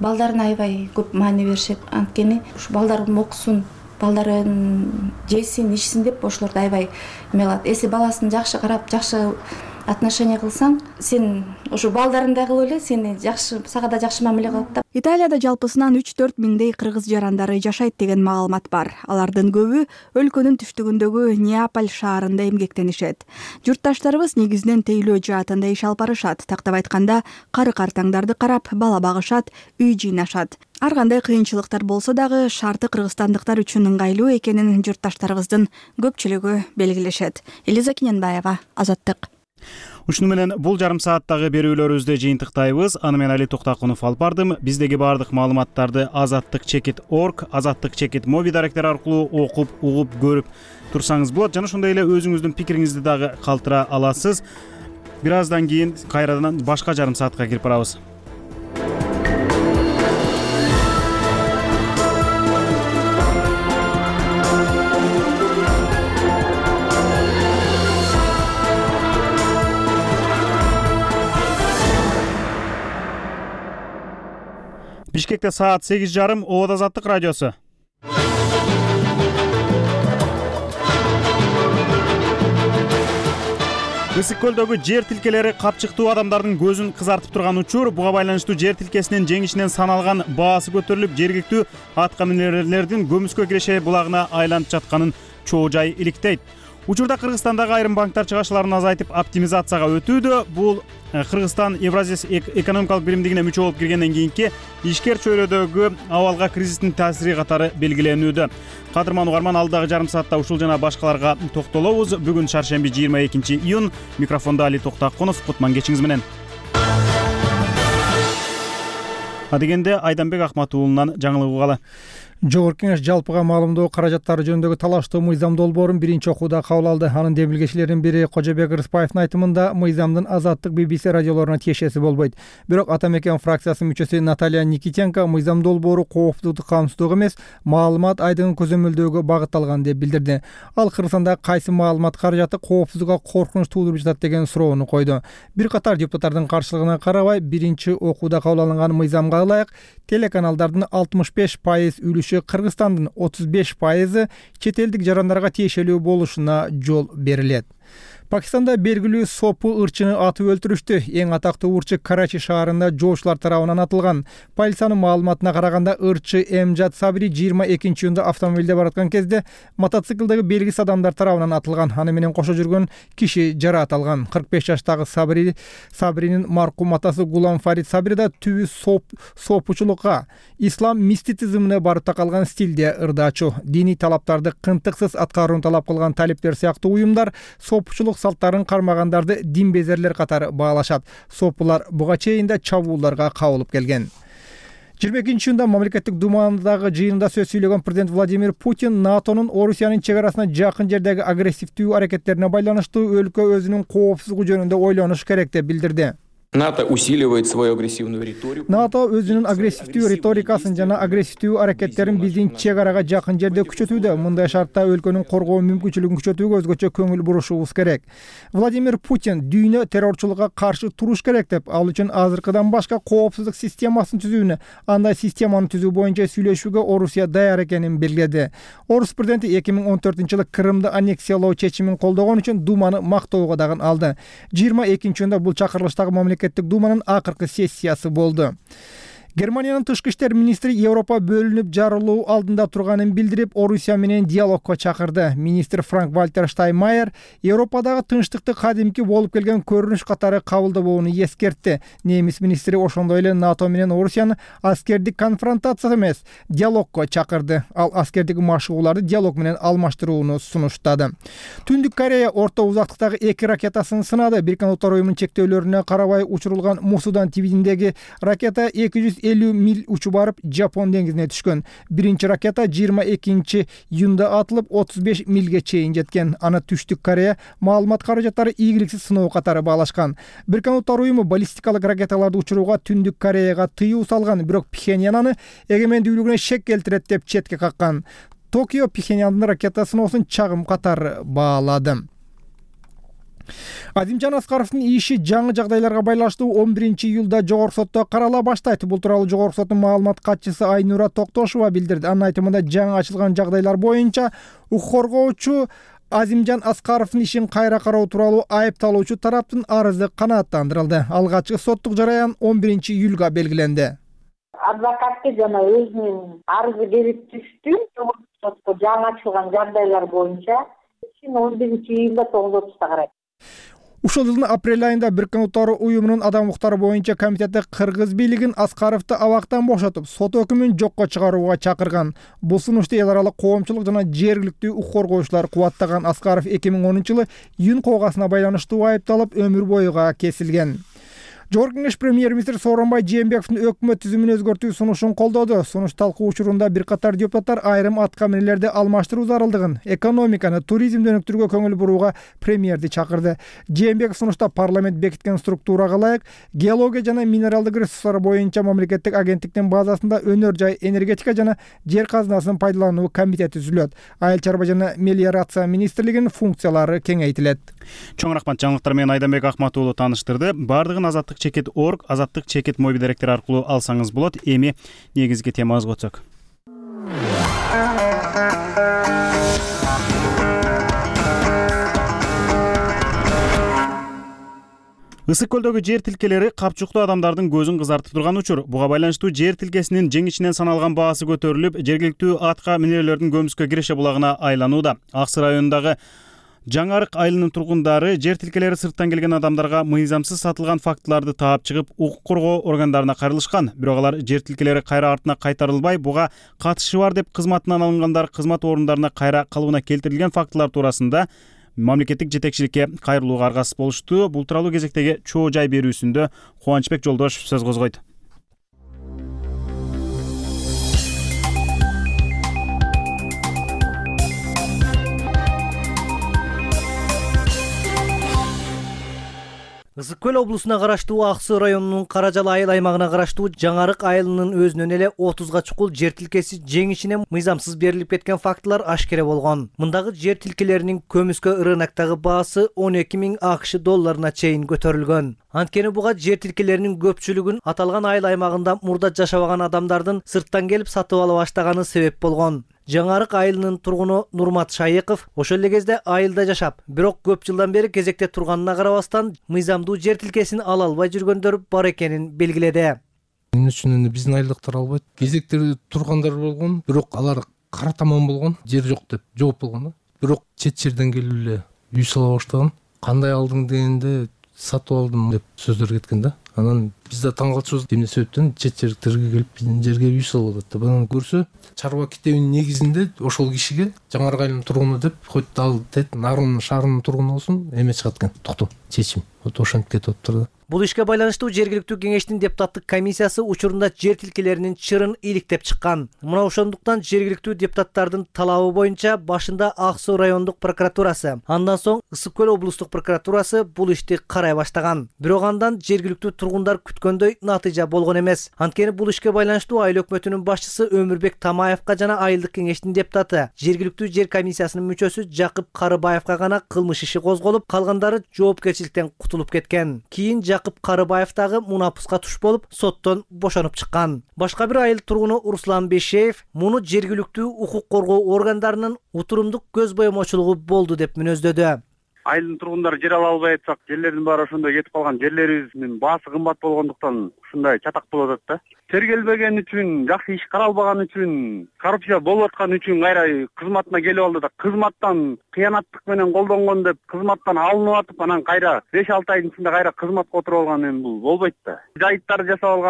балдарына аябай көп маани беришет. Анткени ушу балдардын окусун, балдарын жесин, ичсин деп ошолорду аябай эмелат. Эси баласын жакшы карап, жакшы отношение кылсаң, сен ушу балдарыңдай кылып эле сени жакшы, сага да жакшы мамиле кылат да. Италияда жалпысынан 3-4 миңдей кыргыз жарандары жашайт деген маалымат бар. Алардын көбү өлкөнүн түштүгүндөгү Неаполь шаарында эмгектенишет. Журтташтарыбыз негизинен тейлөө жаатында иш алып барышат. Тактап айтканда, кары-картаңдарды карап, бала багышат, үй жыйнашат. Ар кандай кыйынчылыктар болсо дагы шарты кыргызстандыктар үчүн ыңгайлуу экенин журтташтарыбыздын көпчүлүгү белгилешет. Элиза Кененбаева, Азаттык. Ушуну менен бул жарым сааттагы берүүлөрүбүздү жыйынтыктайбыз. Аны мен Али Токтакунов алып бардым. Биздеги баардык маалыматтарды azattik.org, azattik.mobi даректери аркылуу окуп, угуп, көрүп турсаңыз болот. Жана ошондой эле өзүңүздүн пикириңизди дагы калтыра аласыз. Бир аздан кийин кайрадан башка жарым саатка кирип барабыз. Бишкекте саат 8:30, Обод Азаттык радиосу. Ысык көлдөгү жер тилкелери капчыктуу адамдардын көзүн кызартып турган учур. Буга байланыштуу жер тилкесинин жеңишинен саналган баасы көтөрүлүп, жергиликтүү атка минерлердин көмүскө киреше булагына айланып жатканын чоо жай иликтейт. Учурда Кыргызстандагы айрым банктар чыгашыларын азайтып оптимизацияга өтүүдө. Бул Кыргызстан Евразия экономикалык биримдигине мүчө болуп киргенден кийинки ишкер чөйрөдөгү абалга кризистин таасири катары белгиленүүдө. Кадырман угарман, алдагы жарым саатта ушул жана башкаларга токтолобуз. Бүгүн шаршемби 22-июнь. Микрофондо Али Токтакунов. Кутман кечиңиз менен. Адегенде Айданбек Акматуулунан жаңылык угалы. Жогорку Кеңеш жалпыга маалымдоо каражаттары жөнүндөгү талаштуу мыйзам долбоорун биринчи окууда кабыл алды. Анын демилгечилеринин бири Кожобек Рыспаевдин айтымында мыйзамдын Азаттык BBC радиолоруна тиешеси болбойт. Бирок Ата мекен фракциясынын мүчөсү Наталья Никитенко мыйзам долбоору коопсуздукту камсыздоо эмес, маалымат айдыгын көзөмөлдөөгө багытталган деп билдирди. Ал Кыргызстанда кайсы маалымат каражаты коопсуздукка коркунуч туудуруп жатат деген суроону койду. Бир катар депутаттардын каршылыгына карабай, биринчи окууда кабыл алынган мыйзамга ылайык телеканалдардын 65% үлүшү Кыргызстандын 35% чет элдик жарандарга тиешелүү болушуна жол берилет. Пакистанда белгилүү сопу ырчыны атып өлтүрүштү. Эң атактуу урчу Карачи шаарында жоочулар тарабынан атылган. Полициянын маалыматына караганда ырчы Эмжат Сабри 22-июнда автомобилде бараткан кезде мотоциклдеги белгисиз адамдар тарабынан атылган. Аны менен кошо жүргөн киши жараат алган. 45 жаштагы Сабринин маркум атасы Гулам Фарид Сабри да түбү сопучулукка, ислам мистицизмине барып такалган стилде ырдаачу. Диний талаптарды кынтыксыз аткарууну талап кылган талиптер сыяктуу уюмдар сопучулук салттарын кармагандарды динбезерлер катары баалашат. Сопулар буга чейин да чабуулдарга кабылып келген. 22-июнда мамлекеттик думадагы жыйында сөз сүйлөгөн президент Владимир Путин НАТОнун Орусиянын чек арасына жакын жердеги агрессивдүү аракеттерине байланыштуу өлкө өзүнүн коопсуздугу жөнүндө ойлонуш керек деп билдирди. НАТО усиливает свою агрессивную риторику. НАТО өзүнүн агрессивдүү риторикасын жана агрессивдүү аракеттерин биздин чек арага жакын жерде күчөтүүдө. Мындай шартта өлкөнүн коргоо мүмкүнчүлүгүн күчөтүүгө өзгөчө көңүл бурушубуз керек. Владимир Путин дүйнө террорчулукка каршы туруш керек деп, ал үчүн азыркыдан башка коопсуздук системасын түзүүнү, андай системаны түзүү боюнча сүйлөшүүгө Орусия даяр экенин белгиледи. Орус президенти 2014-жылы Крымды аннексиялоо чечимин колдогон үчүн Думаны мактоого дагы алды. 22-июнда бул чакырылыштагы мамлекеттик Думанын акыркы сессиясы болду. Германиянын тышкы иштер министри Европа бөлүнүп жарылуу алдында турганын билдирип, Орусия менен диалогко чакырды. Министр Франк-Вальтер Штайнмайер Европадагы тынчтыкты кадимки болуп келген көрүнүш катары кабылдабоону эскертти. Немис министри ошондой эле НАТО менен Орусияны аскердик конфронтация эмес, диалогко чакырды. Ал аскердик машыгууларды диалог менен алмаштырууну сунуштады. Түндүк Корея орто узактыктагы 2 ракетасын сынады. Бириккен Улуттар уюмунун чектөөлөрүнө карабай учурулган Мусудан твиндеги ракета 250 миль учуп барып Жапон деңизине түшкөн. Биринчи ракета 22-июнда атылып 35 мильге чейин жеткен. Аны Түштүк Корея маалымат каражаттары ийгиликсиз сыноо катары баалашкан. Бириккен Улуттар уюму баллистикалык ракеталарды учурууга Түндүк Кореяга тыюу салган, бирок Пхеньян аны эгемендүүлүгүнө шек келтирет деп четке каккан. Токио Пхеньяндын ракета сыноосун чагым катары баалады. Азимжан Аскаровдун иши жаңы жагдайларга байланыштуу 11-июлда жогорку сотто карала баштайт. Бул тууралуу жогорку соттун маалымат катчысы Айнура Токтошова билдирди. Анын айтымында жаңы ачылган жагдайлар боюнча укук коргоочу Азимжан Аскаровдун ишин кайра кароо тууралуу айыпталуучу тараптын арызы канааттандырылды. Алгачкы соттук жараян 11-июлга белгиленди. Адвокатке жана өзүнүн арызы келип түштү. Сотко жаңы ачылган жагдайлар боюнча 11-июлда 9:30 карайт. Ушул жылдын апрель айында Бириккен Улуттар уюмунун адам укуктары боюнча комитети кыргыз бийлигин Аскаровду абактан бошотуп, сот өкүмүн жокко чыгарууга чакырган. Бул сунушту эл аралык коомчулук жана жергиликтүү укук коргоочулар кубаттаган. Аскаров 2010-жылы июнь кылгасына байланыштуу айыпталып, өмүр боюга кесилген. Жогорку Кеңеш премьер-министр Сооронбай Жээнбековдун өкмөт түзүмүн өзгөртүү сунушун колдоду. Сунуш талкуу учурунда бир катар депутаттар айрым атка минелерди алмаштыруу зарылдыгын, экономиканы, туризмди өнүктүрүүгө көңүл бурууга премьерди чакырды. Жээнбеков сунушта парламент бекиткен структурага ылайык геология жана минералдык ресурстар боюнча мамлекеттик агенттиктин базасында өнөр жай, энергетика жана жер казынасын пайдалануу комитети түзүлөт. Айыл чарба жана мелиорация министрлигинин функциялары кеңейтилет. Чоң рахмат, жаңылыктар менен Айданбек Акматов уулу таныштырды. Бардыгын Азаттык чекит орг, Азаттык чекит моби даректери аркылуу алсаңыз болот. Эми негизги темабызга өтсөк. Ысык көлдөгү жер тилкелери капчуктуу адамдардын көзүн кызартып турган учур. Буга байланыштуу жер тилкесинин жеңишинен саналган баасы көтөрүлүп, жергиликтүү атка минелердин көмүскө киреше булагына айланууда. Ак Сый районундагы Жаңарык айылынын тургундары жер тилкелери сырттан келген адамдарга мыйзамсыз сатылган фактыларды таап чыгып, укук коргоо органдарына кайрылышкан. Бирок алар жер тилкелери кайра артына кайтарылбай, буга катышы бар деп кызматынан алынгандар кызмат орундарына кайра калыбына келтирилген фактылар туурасында мамлекеттик жетекчиликке кайрылууга аргасыз болушту. Бул тууралуу кезектеги чоо жай берүүсүндө Кубанычбек Жолдошев сөз козгойт. Ысык көл облусуна караштуу Ак Сый районунун Каражал айыл аймагына караштуу Жаңарык айылынын өзүнөн эле 30га чукул жер тилкеси жеңишинен мыйзамсыз берилип кеткен фактылар ашкере болгон. Мындагы жер тилкелеринин көмүскө рыноктогу баасы $12,000 чейин көтөрүлгөн. Анткени буга жер тилкелеринин көпчүлүгүн аталган айыл аймагында мурда жашабаган адамдардын сырттан келип сатып ала баштаганы себеп болгон. Жаңарык айылынын тургуну Нурмат Шайыков ошол эле кезде айылда жашап, бирок көп жылдан бери кезекте турганына карабастан мыйзамдуу жер тилкесин ала албай жүргөндөр бар экенин белгиледи. Эмне үчүн биздин айылдыктар албайт? Кезекте тургандар болгон, бирок алар кара таман болгон, жер жок деп жооп болгон да. Бирок чет жерден келип эле үй сала баштаган. Кандай алдың дегенде сатып алдым деп сөздөр кеткен да. Анан биз да таң калчубуз, эмне себептен чет жердерге келип биздин жерге үй салып атат деп. Анан көрсө, чарба китебинин негизинде ошол кишиге Жаңарык айылынын тургуну деп койт, ал Нарун шаарынын тургуну болсун, эме чыгат экен. Токтом, чечим. Ошентип кетип атыптыр да. Бул ишке байланыштуу жергиликтүү кеңештин депутаттык комиссиясы учурунда жер тилкелеринин чырын иликтеп чыккан. Мына ошондуктан жергиликтүү депутаттардын талабы боюнча башында Ак Сый райондук прокуратурасы, андан соң Ысык көл облустук прокуратурасы бул ишти карай баштаган. Бирок андан жергиликтүү тургундар күткөндөй натыйжа болгон эмес. Анткени бул ишке байланыштуу айыл өкмөтүнүн башчысы Өмүрбек Тамаевка жана айылдык кеңештин депутаты, жергиликтүү жер комиссиясынын мүчөсү Жакып Карыбаевка гана кылмыш иши козголуп, калгандары жоопкерчиликтен кутулуп кеткен. Кийин Жакып Карыбаев дагы мунапуска туш болуп, соттон бошонуп чыккан. Башка бир айыл тургуну Руслан Бешеев муну жергиликтүү укук коргоо органдарынын утурумдук көз боемочулугу болду деп мүнөздөдү. Айылдын тургундары жер ала албай атсак, жерлердин баары ошондой кетип калган, жерлерибиздин баасы кымбат болгондуктан ушундай чатак болуп атат да. Тергелбеген үчүн, жакшы иш каралбаган үчүн, коррупция болуп аткан үчүн кайра кызматына келип алды да, кызматтан кыянаттык менен колдонгон деп кызматтан алынып атып, анан кайра 5-6 айдын ичинде кайра кызматка отуруп алган эми бул болбойт да. Жайыттар жасап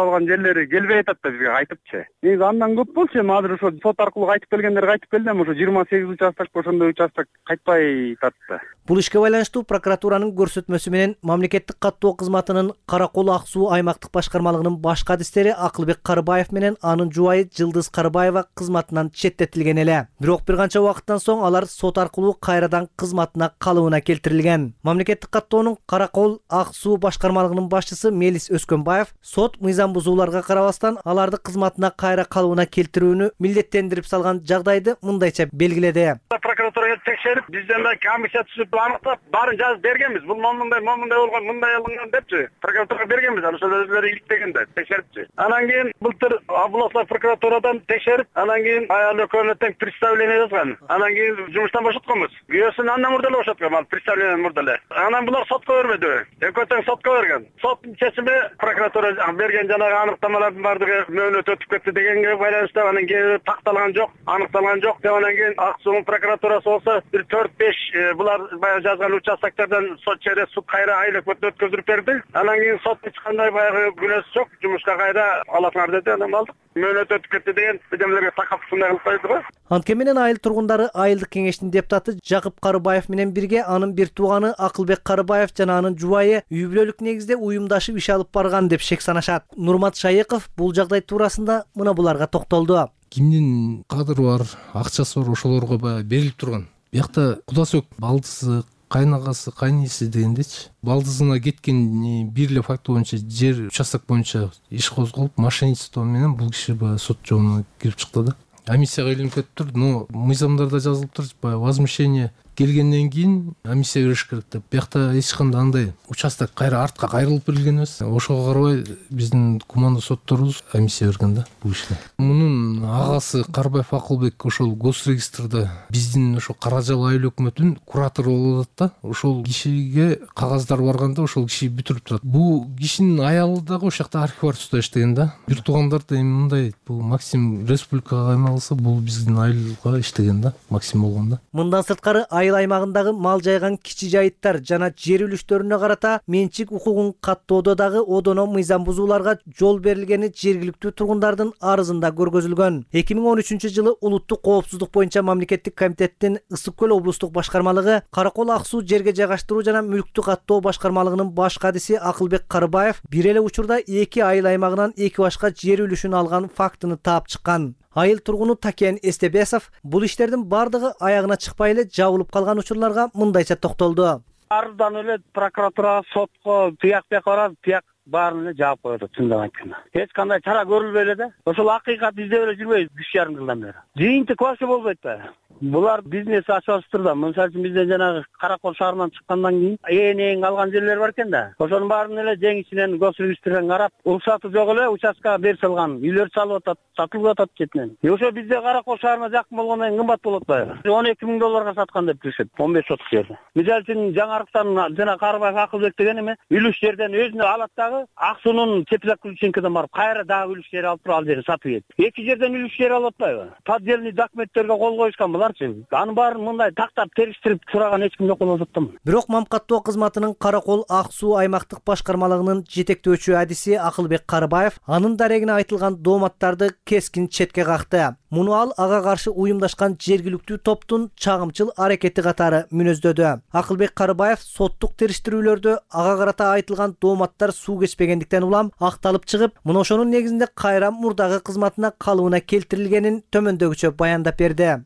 алган жерлери келбей атат да бизге кайтыпчы. Негизи андан көп болчу, эми азыр ошо сот аркылуу кайтып келгендер кайтып келди, эми ошо 28 участок ошондой участок кайтпай атты. Бул ишке байланыштуу прокуратуранын көрсөтмөсү менен мамлекеттик каттоо кызматынын Каракол Ак Суу аймактык башкармалыгынын баш кадистери Акылбек Карыбаев менен анын жубайы Жылдыз Карыбаева кызматынан четтетилген эле. Бирок бир канча убакыттан соң алар сот аркылуу кайрадан кызматына калыбына келтирилген. Мамлекеттик каттоонун Каракол Ак Суу башкармалыгынын башчысы Мелис Өскөнбаев сот мыйзам бузууларга карабастан аларды кызматына кайра калыбына келтирүүнү милдеттендирип салган жагдайды мындайча белгиледи. прокуратурага текшерип, бизден да комиссия түзүп аныктап, баарын жазып бергенбиз. Бул момундай болгон, мындай алынган депчи. Прокуратурага бергенбиз, ошол өзүлөрү иликтегенде текшерипчи. Анан кийин былтыр областной прокуратурадан текшерип, анан кийин аял экөөнө тең представление жазган. Анан кийин жумуштан бошотконбуз. Күйөөсүн андан мурда эле бошоткон, ал представлениеден мурда эле. Анан булар сотко бербеди. Экөө тең сотко берген. Соттун чечими прокуратура берген жанагы аныктамалардын баардыгы мөөнөт өтүп кетти дегенге байланыштуу анан кийин такталган жок, аныкталган жок деп анан кийин Ак Суунун прокуратурасы болсо бир 4-5 булар баягы жазган участоктардан через суд кайра айлык өткөзүп берди. Анан кийин сот эч кандай баягы күнөөсү жок, жумушка кайра алатыңар деди. Анан алдык. Мөөнөт өтүп кетти деген бидемлерге такап ушундай кылып койду го. Антке менен айыл тургундары айылдык кеңештин депутаты Жакып Карыбаев менен бирге анын бир тууганы Акылбек Карыбаев жана анын жубайы үй бүлөлүк негизде уюмдашып иш алып барган деп шек санашат. Нурмат Шайыков бул жагдай туурасында мына буларга токтолду. Кимдин кадыры бар, акчасы бар, ошолорго баягы берилип турган. Биякта куда сөк балдысы, кайнагасы, кайниси дегендечи. Балдызына кеткен бир эле факт боюнча жер участок боюнча иш козголуп, мошенничество менен бул киши баягы сот жообуна кирип чыкты да. Комиссияга илинип кетиптир, но мыйзамдарда жазылыптыр, баягы возмещение келгенден кийин комиссия бериш керек деп. Биякта эч кандай андай участок кайра артка кайрылып берилген эмес. Ошого карабай биздин команда сотторубуз комиссия берген да бул иште. Мунун агасы Карыбаев Акылбек ошол госрегистрде биздин ошо Каражал айыл өкмөтүнүн куратору болуп атат да. Ошол кишиге кагаздар барганда ошол киши бүтүрүп турат. Бул кишинин аялы дагы ошол жакта архивариусда иштеген да. Бир туугандар да эми мындай бул Максим республикага кайма бул биздин айылга иштеген да, Максим болгон да. Мындан сырткары айыл аймагындагы мал жайган кичи жайыттар жана жер үлүштөрүнө карата менчик укугун каттоодо дагы одоно мыйзам бузууларга жол берилгени жергиликтүү тургундардын арызында көргөзүлгөн. 2013-жылы улуттук коопсуздук боюнча мамлекеттик комитеттин Ысык көл облустук башкармалыгы Каракол Ак Суу жерге жайгаштыруу жана мүлктү каттоо башкармалыгынын баш кадиси Акылбек Карыбаев бир эле учурда 2 айыл аймагынан 2 башка жер үлүшүн алган фактыны таап чыккан. Айыл тургуну Такен Эстебесов бул иштердин бардыгы аягына чыкпай эле жабылып калган учурларга мындайча токтолду. Арыздан эле прокуратурага, сотко, тияк барат, тияк баарын эле жаап коет, чындап айтканда. Эч кандай чара көрүлбөй эле да. Ошол акыйкат издеп эле жүрбөйбүз 3,5 жылдан бери. Жыйынтык вообще болбойт да. Булар бизнес ачып да. Мисалы үчүн бизден жанагы Каракол шаарынан чыккандан кийин ээн калган жерлер бар экен да. Ошонун баарын эле жеңишинен госрегистрден карап, уруксаты жок эле участкага берип салган. Үйлөр салып атат, сатылып атат четинен. Ошо бизде Каракол шаарына жакын болгондон кийин кымбат болот баягы. $12,000 саткан деп жүрүшөт, 15 соток жерди. Мисалы үчүн жаңарыктан жана Карыбаев Акылбек деген эме үлүш жерден өзүнө алат дагы Ак Суунун Теплак Ключенкеден барып кайра дагы үлүш жер алып туруп ал жерди сатып ийет. Эки жерден үлүш жер алып атпайбы? Поддельный документтерге кол коюшкан буларчы. Анын баарын мындай тактап териштирип сураган эч ким жок болуп атат да. Бирок Мамкаттоо кызматынын Каракол Ак Суу аймактык башкармалыгынын жетектөөчү адиси Акылбек Карыбаев анын дарегине айтылган дооматтарды кескин четке какты. Муну ал ага каршы уюмдашкан жергиликтүү топтун чагымчыл аракети катары мүнөздөдү. Акылбек Карыбаев соттук териштирүүлөрдө ага карата айтылган дооматтар суу кечпегендиктен улам акталып чыгып, мына ошонун негизинде кайра мурдагы кызматына калыбына келтирилгенин төмөндөгүчө баяндап берди.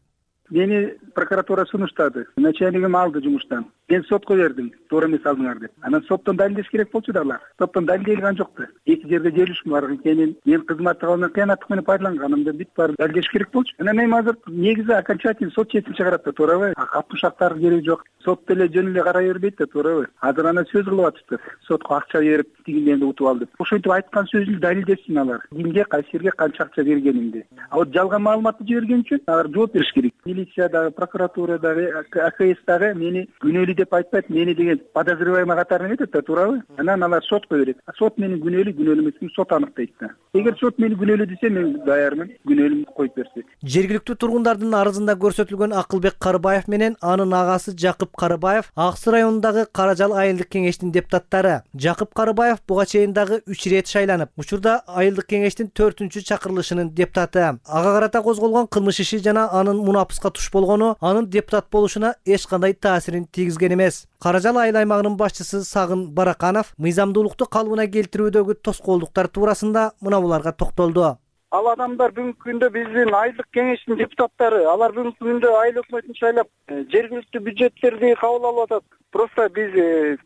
Мени прокуратура сунуштады. Начальнигим алды жумуштан. Мен сотко бердим, туура эмес алдыңар деп. Анан соттон далилдеш керек болчу да алар. Соттон далилделген жок да. Эки жерде жер үлүшүм бар экенин, мен кызматты кылган кыянаттык менен пайдаланганымды бүт бар далилдеш керек болчу. Анан эми азыр негизи окончательный сот чечим чыгарат да, туурабы? Капмышактар кереги жок. Сот деле жөн эле карай бербейт да, туурабы? Азыр аны сөз кылып атышты. Сотко акча берип, тигинден утуп ал деп. Ошентип айткан сөзүн далилдесин алар. Кимге, кайсы жерге канча акча бергенимди. А вот жалган маалыматты жиберген үчүн алар жооп бериш керек. Милиция прокуратура дагы, АКС дагы мени күнөөлүү деп айтпайт, мени деген подозреваемый катарына кетет да, туурабы? Анан алар сотко берет. Сот мени күнөөлүү эмесин сот аныктайт да. Эгер сот мени күнөөлүү десе, мен даярмын, күнөөлүүмдү коюп берсе. Жергиликтүү тургундардын арызында көрсөтүлгөн Акылбек Карыбаев менен анын агасы Жакып Карыбаев Ак Суу районундагы Каражал айылдык кеңештин депутаттары. Жакып Карыбаев буга чейин дагы 3 ирет шайланып, учурда айылдык кеңештин 4-чү чакырылышынын депутаты. Ага карата козголгон кылмыш иши жана анын мунапыска туш болгону анын депутат болушуна эч кандай таасирин тийгизген эмес. Каражал айыл аймагынын башчысы Сагын Бараканов мыйзамдуулукту калыбына келтирүүдөгү тоскоолдуктар туурасында мына буларга токтолду. ал адамдар бүгүнкү күндө биздин айылдык кеңештин депутаттары, алар бүгүнкү күндө айыл өкмөтүн шайлап жергиликтүү бюджеттерди кабыл алып атат. Просто биз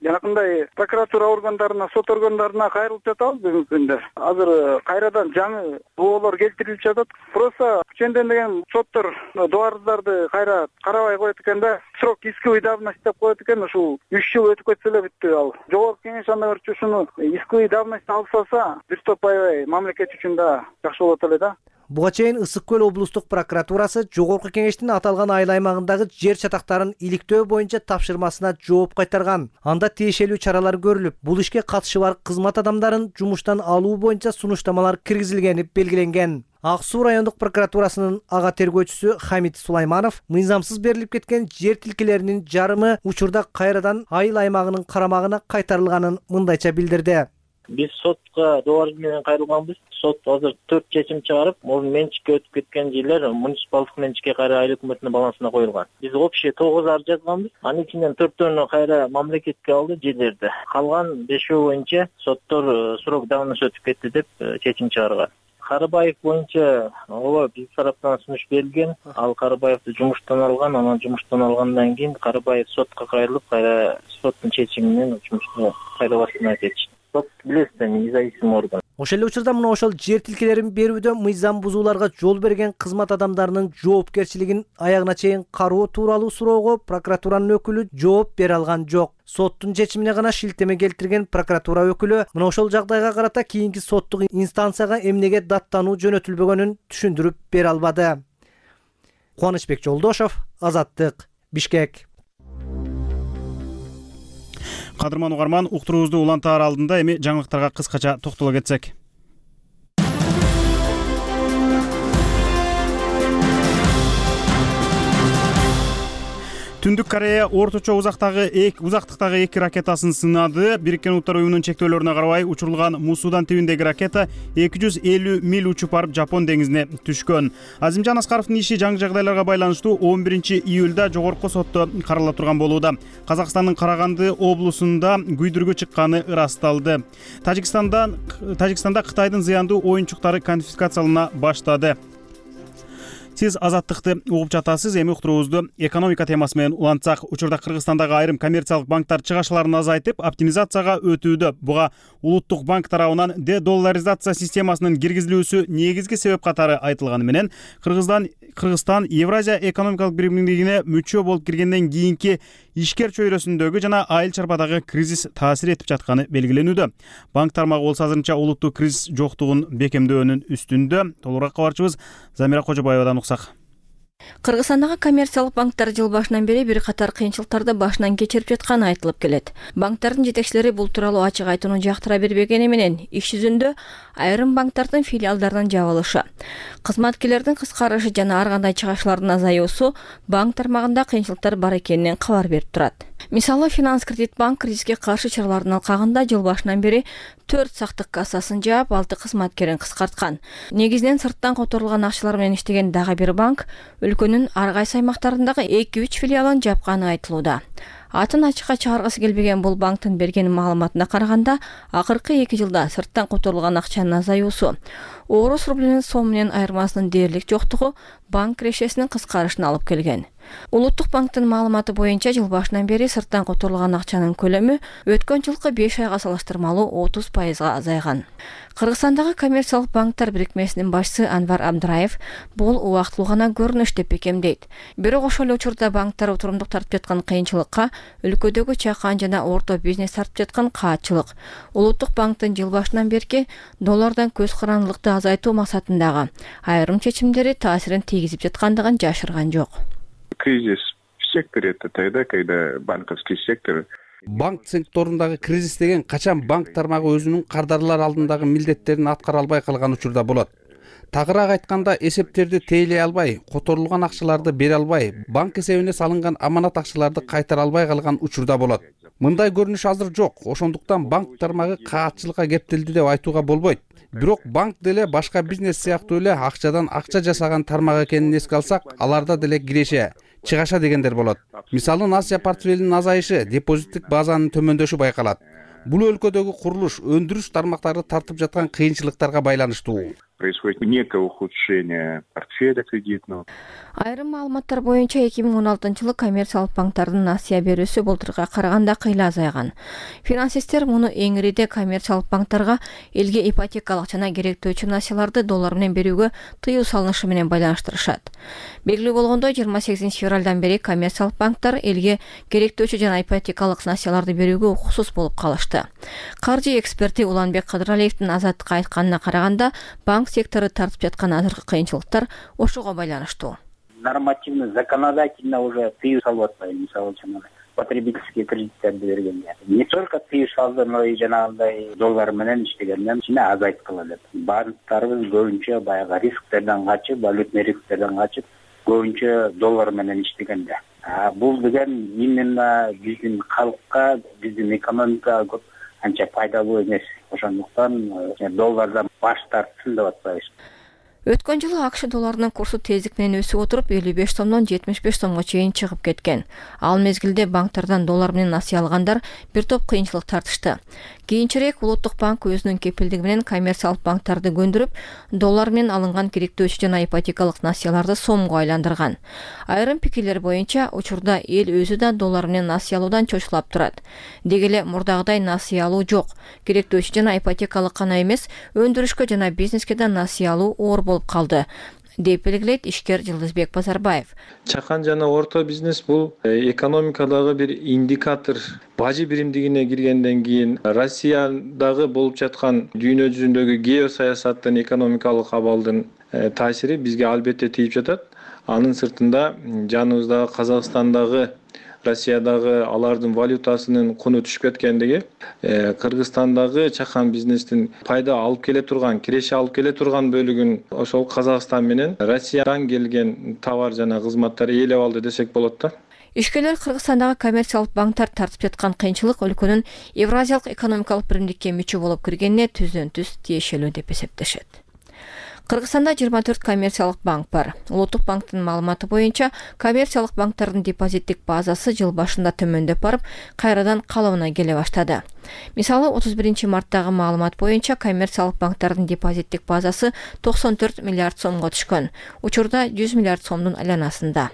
жанакындай прокуратура органдарына, сот органдарына кайрылып жатабыз бүгүнкү күндө. Азыр кайрадан жаңы боолор келтирилип жатат. Просто ченден соттор дубарыздарды кайра карабай коет экен да, срок исковой давности деп коет экен. Ушул 3 жыл өтүп кетсе эле бүттү ал. Жогорку кеңеш анда көрчү ушуну исковой давность алып салса, бир топ аябай мамлекет үчүн да жакшы болот эле да. Буга чейин Ысык көл облустук прокуратурасы Жогорку кеңештин аталган айыл аймагындагы жер чатактарын иликтөө боюнча тапшырмасына жооп кайтарган. Анда тиешелүү чаралар көрүлүп, бул ишке катышы бар кызмат адамдарын жумуштан алуу боюнча сунуштамалар киргизилгени белгиленген. Ак Суу райондук прокуратурасынын ага тергөөчүсү Хамит Сулайманов мыйзамсыз берилип кеткен жер тилкелеринин жарымы учурда кайрадан айыл аймагынын карамагына кайтарылганын мындайча билдирди. Биз сотко добарыз менен кайрылганбыз. Сот азыр 4 чечим чыгарып, мурун менчикке өтүп кеткен жерлер муниципалдык менчикке кайра айыл өкмөтүнүн балансына коюлган. Биз общий 9 арыз жазганбыз. Анын ичинен 4-төрүнө кайра мамлекетке алды жерлерди. Калган 5өө боюнча соттор срок давности өтүп кетти деп чечим чыгарган. Карыбаев боюнча ооба биз тараптан сунуш берилген. Ал Карыбаевди жумуштан алган, анан жумуштан алгандан кийин Карыбаев сотко кайрылып, кайра соттун чечими менен жумушту кайра баштан кетти. Сот билесиз, независимый орган. Ошол эле учурда мына ошол жер тилкелерин берүүдө мыйзам бузууларга жол берген кызмат адамдарынын жоопкерчилигин аягына чейин кароо тууралуу суроого прокуратуранын өкүлү жооп бере алган жок. Соттун чечимине гана шилтеме келтирген прокуратура өкүлү мына ошол жагдайга карата кийинки соттук инстанцияга эмнеге даттануу жөнөтүлбөгөнүн түшүндүрүп бере албады. Кубанычбек Жолдошов, Азаттык, Бишкек. Кадырман угарман, уктуруубузду улантаар алдында эми жаңылыктарга кыскача токтоло кетсек. Түндүк Корея орточо узактыктагы 2 ракетасын сынады. Бириккен Улуттар уюмунун чектөөлөрүнө карабай учурулган Мусудан түбүндөгү ракета 250 миль учуп барып Жапон деңизине түшкөн. Азимжан Аскаровдун иши жаңы жагдайларга байланыштуу 11-июлда жогорку сотто карала турган болууда. Казакстандын Караганды облусунда күйдүргү чыкканы ырасталды. Тажикстанда Кытайдын зыяндуу оюнчуктары конфискациялана баштады. Сиз Азаттыкты угуп жатасыз. Эми уктуруубузду экономика темасы менен улантсак, учурда Кыргызстандагы айрым коммерциялык банктар чыгашаларын азайтып, оптимизацияга өтүүдө. Буга улуттук банк тарабынан дедолларизация системасынын киргизилүүсү негизги себеп катары айтылганы менен, Кыргызстан Евразия экономикалык биримдигине мүчө болуп киргенден кийинки ишкер чөйрөсүндөгү жана айыл чарбадагы кризис таасир этип жатканы белгиленүүдө. Банк тармагы болсо азырынча улуттук кризис жоктугун бекемдөөнүн үстүндө. Толугураак кабарчыбыз Замира Кожобаевадан уксак. Кыргызстандагы коммерциялык банктар жыл башынан бери бир катар кыйынчылыктарды башынан кечирип жатканы айтылып келет. Банктардын жетекчилери бул тууралуу ачык айтууну жактыра бербегени менен иш жүзүндө айрым банктардын филиалдарынын жабылышы, кызматкерлердин кыскарышы жана ар кандай чыгашалардын азаюусу банк тармагында кыйынчылыктар бар экенинен кабар берип турат. Мисалы, Финанс Кредит банк кризиске каршы чаралардын алкагында жыл башынан бери 4 сактык кассасын жаап, 6 кызматкерин кыскарткан. Негизинен сырттан которулган акчалар менен иштеген дагы бир банк өлкөнүн ар кайсы аймактарындагы 2-3 филиалын жапканы айтылууда. Атын ачыкка чыгаргысы келбеген бул банктын берген маалыматына караганда, акыркы 2 жылда сырттан которулган акчанын азаюусу, орус рублинин сом менен айырмасынын дээрлик жоктугу банк кирешесинин кыскарышына алып келген. Улуттук банктын маалыматы боюнча жыл башынан бери сырттан которулган акчанын көлөмү өткөн жылкы 5 айга салыштырмалуу 30% азайган. Кыргызстандагы коммерциялык банктар бирикмесинин башчысы Анвар Абдраев бул убактылуу гана көрүнүш деп бекемдейт. Бирок ошол эле учурда банктар отурумдук тартып жаткан кыйынчылыкка өлкөдөгү чакан жана орто бизнес тартып жаткан каатчылык, улуттук банктын жыл башынан берки доллардан көз карандылыкты азайтуу максатындагы айрым чечимдери таасирин тийгизип жаткандыгын жашырган жок. Кризис в секторе — это тогда, когда банковский сектор. Банк секторундагы кризис деген качан банк тармагы өзүнүн кардарлар алдындагы милдеттерин аткара албай калган учурда болот. Тагыраак айтканда, эсептерди тейлей албай, которулган акчаларды бере албай, банк эсебине салынган аманат акчаларды кайтара албай калган учурда болот. Мындай көрүнүш азыр жок. Ошондуктан банк тармагы каатчылыкка кептелди деп айтууга болбойт. Бирок банк деле башка бизнес сыяктуу эле акчадан акча жасаган тармак экенин эске алсак, аларда деле киреше, чыгаша дегендер болот. Мисалы, Азия портфелинин азайышы, депозиттик базанын төмөндөшү байкалат. Бул өлкөдөгү курулуш, өндүрүш тармактары тартып жаткан кыйынчылыктарга байланыштуу. происходит некое ухудшение портфеля кредитного. Айрым маалыматтар боюнча 2016 жылы коммерциялык банктардын насыя берүүсү былтырга караганда кыйла азайган. Финансисттер муну эң ириде коммерциялык банктарга элге ипотекалык жана керектөөчү насыяларды доллар менен берүүгө тыюу салынышы менен байланыштырышат. Белгилүү болгондой 28 февралдан бери коммерциялык банктар элге керектөөчү жана ипотекалык насыяларды берүүгө укуксуз болуп калышты. Каржы эксперти Уланбек Кадыралиевдин Азаттыкка айтканына караганда, банк сектору тартып жаткан азыркы кыйынчылыктар ошого байланыштуу. Нормативно, законодательно уже тыюу салып атпайбы, мисалы үчүн потребительский кредиттерди бергенде. Не только тыюу салды, но и жанагындай доллар менен иштегенден кичине азайткыла деп. Банктарыбыз көбүнчө баягы рисктерден качып, валютный рисктерден качып, көбүнчө доллар менен иштегенде. Бул деген именно биздин калкка, биздин экономикага көп анча пайдалуу эмес. Ошондуктан доллардан баш тартсын деп атпайбыз. Өткөн жылы АКШ долларынын курсу тездик менен өсүп отуруп 55 сомдон 75 сомго чейин чыгып кеткен. Ал мезгилде банктардан доллар менен насыя алгандар бир топ кыйынчылык тартышты. Кийинчерээк Улуттук банк өзүнүн кепилдиги менен коммерциялык банктарды көндүрүп, доллар менен алынган керектөөчү жана ипотекалык насыяларды сомго айландырган. Айрым пикирлер боюнча, учурда эл өзү да доллар менен насыя алуудан чочулап турат. Деги эле мурдагыдай насыя алуу жок. Керектөөчү жана ипотекалык гана эмес, өндүрүшкө жана бизнеске да насыя алуу оор болуп калды, деп белгилейт ишкер Жылдызбек Базарбаев. Чакан жана орто бизнес бул экономикадагы бир индикатор. Бажы биримдигине киргенден кийин Россиядагы болуп жаткан дүйнө жүзүндөгү геосаясаттын экономикалык абалдын таасири бизге албетте тийип жатат. Анын сыртында жаныбыздагы Казакстандагы, Россиядагы алардын валютасынын куну түшүп кеткендиги, Кыргызстандагы чакан бизнестин пайда алып келе турган, киреше алып келе турган бөлүгүн ошол Казакстан менен Россиядан келген товар жана кызматтар ээлеп алды десек болот да. Ишкерлер Кыргызстандагы коммерциялык банктар тартып жаткан кыйынчылык өлкөнүн Евразиялык экономикалык биримдикке мүчө болуп киргенине түздөн-түз тиешелүү деп эсептешет. Кыргызстанда 24 коммерциялык банк бар. Улуттук банктын маалыматы боюнча, коммерциялык банктардын депозиттик базасы жыл башында төмөндөп барып, кайрадан калыбына келе баштады. Мисалы, 31 марттагы маалымат боюнча, коммерциялык банктардын депозиттик базасы 94 миллиард сомго түшкөн. Учурда 100 миллиард сомдун айланасында.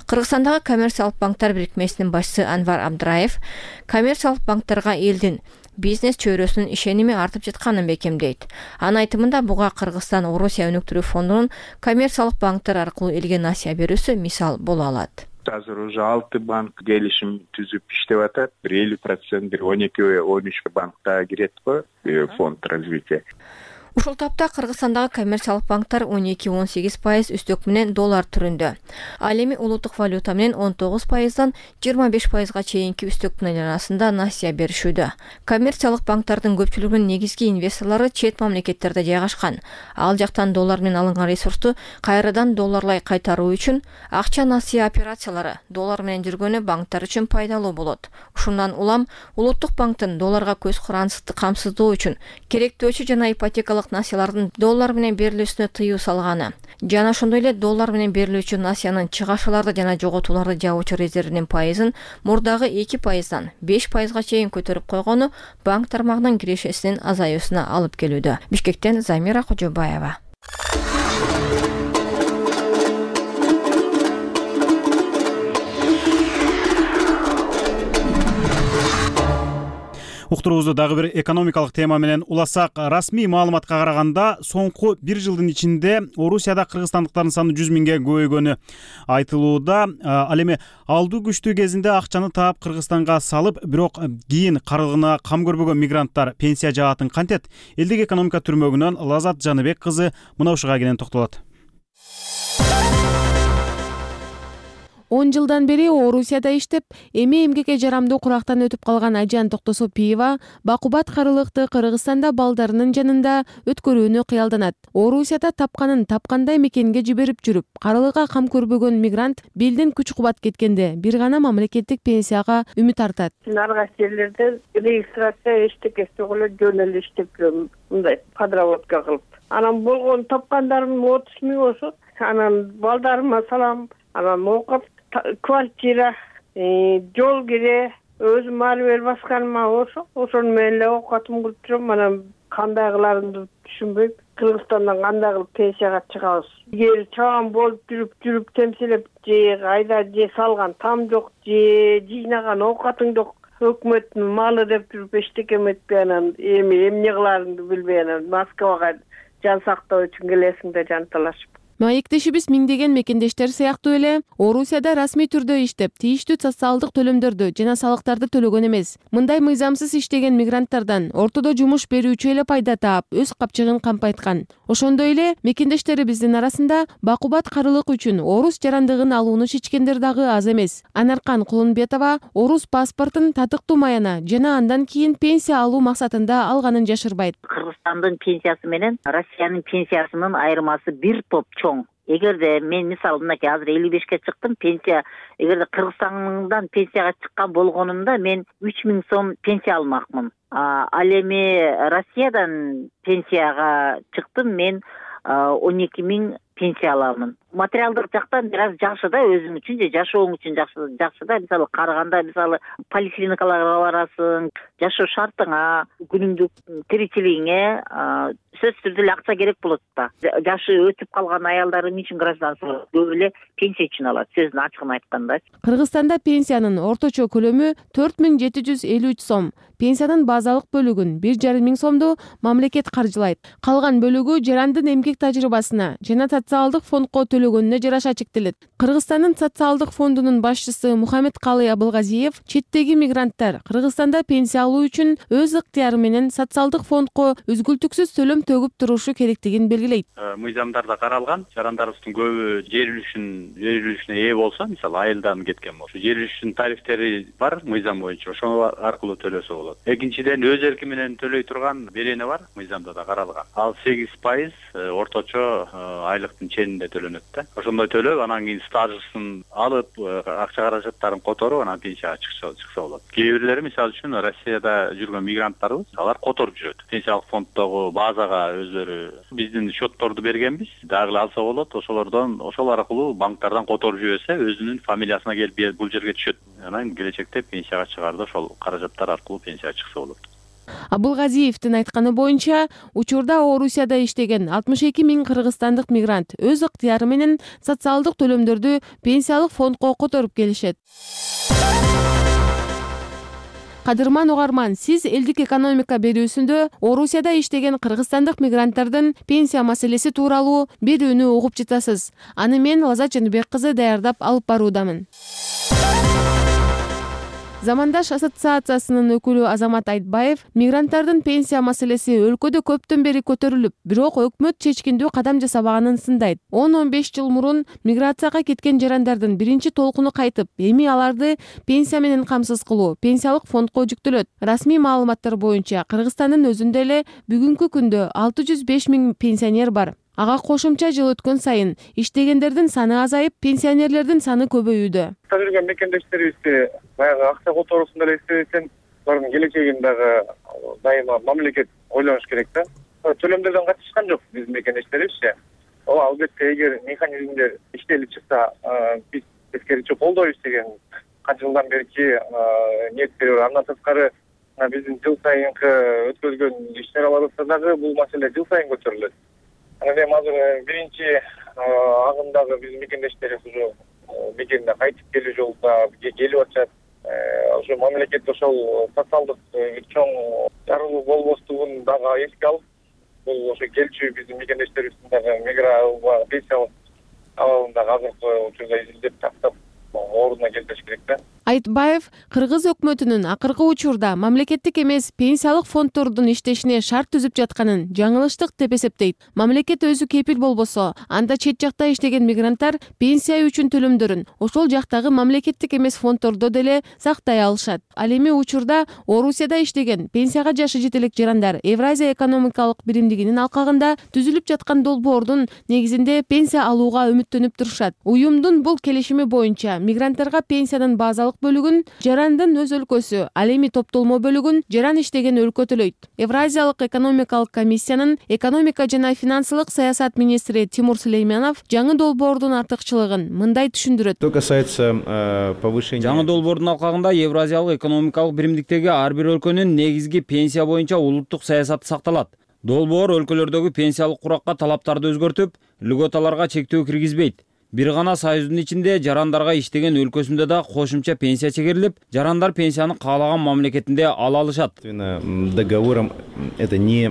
Кыргызстандагы коммерциялык банктар бирикмесинин башчысы Анвар Абдраев коммерциялык банктарга элдин бизнес чөйрөсүнүн ишеними артып жатканын бекемдейт. Анын айтымында буга Кыргызстан Орусия өнүктүрүү фондунун коммерциялык банктар аркылуу элге насыя берүүсү мисал боло алат. Азыр уже 6 банк келишим түзүп иштеп атат. 50%, 12-13 банкта кирет го фонд развития. Ушул тапта Кыргызстандагы коммерциялык банктар 12-18% үстөк менен доллар түрүндө. Ал эми улуттук валюта менен 19%дан 25%га чейинки үстөктүн айланасында насыя беришүүдө. Коммерциялык банктардын көпчүлүгүнүн негизги инвесторлору чет мамлекеттерде жайгашкан. Ал жактан доллар менен алынган ресурсту кайрадан долларлай кайтаруу үчүн акча насыя операциялары доллар менен жүргөнү банктар үчүн пайдалуу болот. Ушундан улам Улуттук банктын долларга көз карандысты камсыздоо үчүн керектөөчү жана ипотекалык насыялардын доллар менен берилүүсүнө тыюу салганы жана ошондой эле доллар менен берилүүчү насыянын чыгашаларды жана жоготууларды жабуучу резервинин пайызын мурдагы 2%дан 5%га чейин көтөрүп койгону банк тармагынын кирешесинин азаюусуна алып келүүдө. Бишкектен Замира Кожобаева. Уктуруубузду дагы бир экономикалык тема менен уласак, расмий маалыматка караганда соңку 1 жылдын ичинде Орусияда кыргызстандыктардын саны 100 миңге көбөйгөнү айтылууда. Ал эми алдуу күчтүү кезинде акчаны таап Кыргызстанга салып, бирок кийин карылгына кам көрбөгөн мигранттар пенсия жаатын кантет? Элдик экономика түрмөгүнөн Лазат Жаныбек кызы мына ушуга кенен токтолот. 10 жылдан бери Орусияда иштеп, эми эмгекке жарамдуу курактан өтүп калган Айжан Токтосопиева бакубат карылыкты Кыргызстанда балдарынын жанында өткөрүүнү кыялданат. Орусияда тапканын тапкандай мекенге жиберип жүрүп, карылыкка кам көрбөгөн мигрант белден күч-кубат кеткенде бир гана мамлекеттик пенсияга үмүт артат. Ар кайсы жерлерде регистрация эчтекеси эле жөн эле иштеп жүрөм, мындай подработка кылып. Анан болгон тапкандарым 30 миң болсо, анан балдарыма салам, анан окуп квартира, жол кире, өзүм ары бери басканыма болсо, ошону менен эле окуп кылып жүрөм. Анан кандай кыларымды түшүнбөйм. Кыргызстандан кандай кылып пенсияга чыгабыз? Эгер чабан болуп жүрүп темселеп же айда же салган там жок, же жыйнаган оокатың жок, өкмөттүн малы деп жүрүп эчтеке эметпей анан эмне кыларыңды билбей анан Москвага жан сактоо үчүн келесиң да жан талашып. Маектешибиз миңдеген мекендештер сыяктуу эле Орусияда расмий түрдө иштеп, тийиштүү социалдык төлөмдөрдү жана салыктарды төлөгөн эмес. Мындай мыйзамсыз иштеген мигранттардан ортодо жумуш берүүчү эле пайда таап, өз капчыгын кампайткан. Ошондой эле мекендештерибиздин арасында бакубат карылык үчүн орус жарандыгын алууну чечкендер дагы аз эмес. Анаркан Кулунбетова орус паспортун татыктуу маяна жана андан кийин пенсия алуу максатында алганын жашырбайт. Кыргызстандын пенсиясы менен Россиянын пенсиясынын айырмасы бир топ чоң. Эгерде мен мисалы мынакей азыр 55-ке чыктым, пенсия эгерде Кыргызстандан пенсияга чыккан болгонумда мен 3000 сом пенсия алмакмын. Ал эми Россиядан пенсияга чыктым, мен 12000 пенсия аламын. Материалдык жактан бир аз жакшы да, өзүң үчүн же жашооң үчүн жакшы да. Мисалы караганда мисалы поликлиникаларга барасың, жашоо шартыңа, күнүмдүк тиричилигиңе сөзсүз түрдө эле акча керек болот да. Жашы өтүп калган аялдар эмне үчүн гражданство көп эле пенсия үчүн алат, сөздүн ачыгын айтканда. Кыргызстанда пенсиянын орточо көлөмү 4753 сом. Пенсиянын базалык бөлүгүн 1500 сомду мамлекет каржылайт. Калган бөлүгү жарандын эмгек тажрыйбасына жана социалдык фондко төлөгөнүнө жараша чектелет. Кыргызстандын социалдык фондунун башчысы Мухаммедкалый Абылгазиев четтеги мигранттар Кыргызстанда пенсия алуу үчүн өз ыктыяры менен социалдык фондко үзгүлтүксүз төлөм төгүп турушу керектигин белгилейт. Мыйзамдарда каралган, жарандарыбыздын көбү жер үлүшүнө ээ болсо, мисалы айылдан кеткен болсо, жер үлүшүнүн тарифтери бар мыйзам боюнча, ошол аркылуу төлөсө болот. Экинчиден өз эрки менен төлөй турган берене бар, мыйзамда да каралган. Ал 8% орточо айлыктын ченинде төлөнөт да. Ошондой төлөп, анан кийин стажысын алып, акча каражаттарын которуп, анан пенсияга чыкса болот. Кээ бирлери мисалы үчүн Россияда жүргөн мигранттарыбыз, алар которуп жүрөт. Пенсиялык фонддогу базага өзлөрү биздин счетторду бергенбиз, дагы алса болот. Ошол аркылуу банктардан которуп жиберсе, өзүнүн фамилиясына келип бул жерге түшөт. Анан келечекте пенсияга чыгаарда ошол каражаттар аркылуу пенсияга чыкса болот. Абылгазиевдин айтканы боюнча, учурда Орусияда иштеген 62 000 кыргызстандык мигрант өз ыктыяры менен социалдык төлөмдөрдү пенсиялык фондко которуп келишет. Кадырман угарман, сиз элдик экономика берүүсүндө Орусияда иштеген кыргызстандык мигранттардын пенсия маселеси тууралуу берүүнү угуп жатасыз. Аны мен Лазат Жаныбек кызы даярдап алып баруудамын. Замандаш ассоциациясынын өкүлү Азамат Айтбаев мигранттардын пенсия маселеси өлкөдө көптөн бери көтөрүлүп, бирок өкмөт чечкиндүү кадам жасабаганын сындайт. 10-15 жыл мурун миграцияга кеткен жарандардын биринчи толкуну кайтып, эми аларды пенсия менен камсыз кылуу пенсиялык фондко жүктөлөт. Расмий маалыматтар боюнча Кыргызстандын өзүндө эле бүгүнкү күндө 605 000 пенсионер бар. Ага кошумча жыл өткөн сайын иштегендердин саны азайып, пенсионерлердин саны көбөйүүдө. Жүргөн мекендештерибизди баягы акча которуусунда эле эстебесең, алардын келечегин дагы дайыма мамлекет ойлош керек да. Төлөмдөрдөн качышкан жок биздин мекендештерибизчи. Албетте эгер механизмдер иштелип чыкса, биз тескеричи колдойбуз деген канча жылдан берки ниеттер бар. Андан тышкары биздин жыл сайынкы өткөрүлгөн иш-чараларыбызда дагы бул маселе жыл сайын көтөрүлөт. Эми азыр биринчи агымдагы биздин мекендештерибиз уже мекенине кайтып келүү жолунда келип атышат. Ошо мамлекет ошол социалдык чоң жарылуу болбостугун дагы эске алып, бул ошо келчү биздин мекендештерибиздин дагы пенсиялык абалын дагы азыркы учурда изилдеп тактап ордуна келтириш керек да. Айтбаев кыргыз өкмөтүнүн акыркы учурда мамлекеттик эмес пенсиялык фонддордун иштешине шарт түзүп жатканын жаңылыштык деп эсептейт. Мамлекет өзү кепил болбосо, анда чет жакта иштеген мигранттар пенсия үчүн төлөмдөрүн ошол жактагы мамлекеттик эмес фонддордо деле сактай алышат. Ал эми учурда Орусияда иштеген пенсияга жашы жетелик жарандар Евразия экономикалык биримдигинин алкагында түзүлүп жаткан долбоордун негизинде пенсия алууга үмүттөнүп турушат. Уюмдун бул келишими боюнча мигранттарга пенсиянын базалык бөлүгүн жарандын өз өлкөсү, ал эми топтолмо бөлүгүн жаран иштеген өлкө төлөйт. Евразиялык экономикалык комиссиянын экономика жана финансылык саясат министри Тимур Сулейманов жаңы долбоордун артыкчылыгын мындай түшүндүрөт. Жаңы долбоордун алкагында Евразиялык экономикалык биримдиктеги ар бир өлкөнүн негизги пенсия боюнча улуттук саясаты сакталат. Долбоор өлкөлөрдөгү пенсиялык куракка талаптарды өзгөртүп, льготаларга чектөө киргизбейт. Бир гана союздун ичинде жарандарга иштеген өлкөсүндө да кошумча пенсия чегерилип, жарандар пенсияны каалаган мамлекетинде ала алышат. Договором это не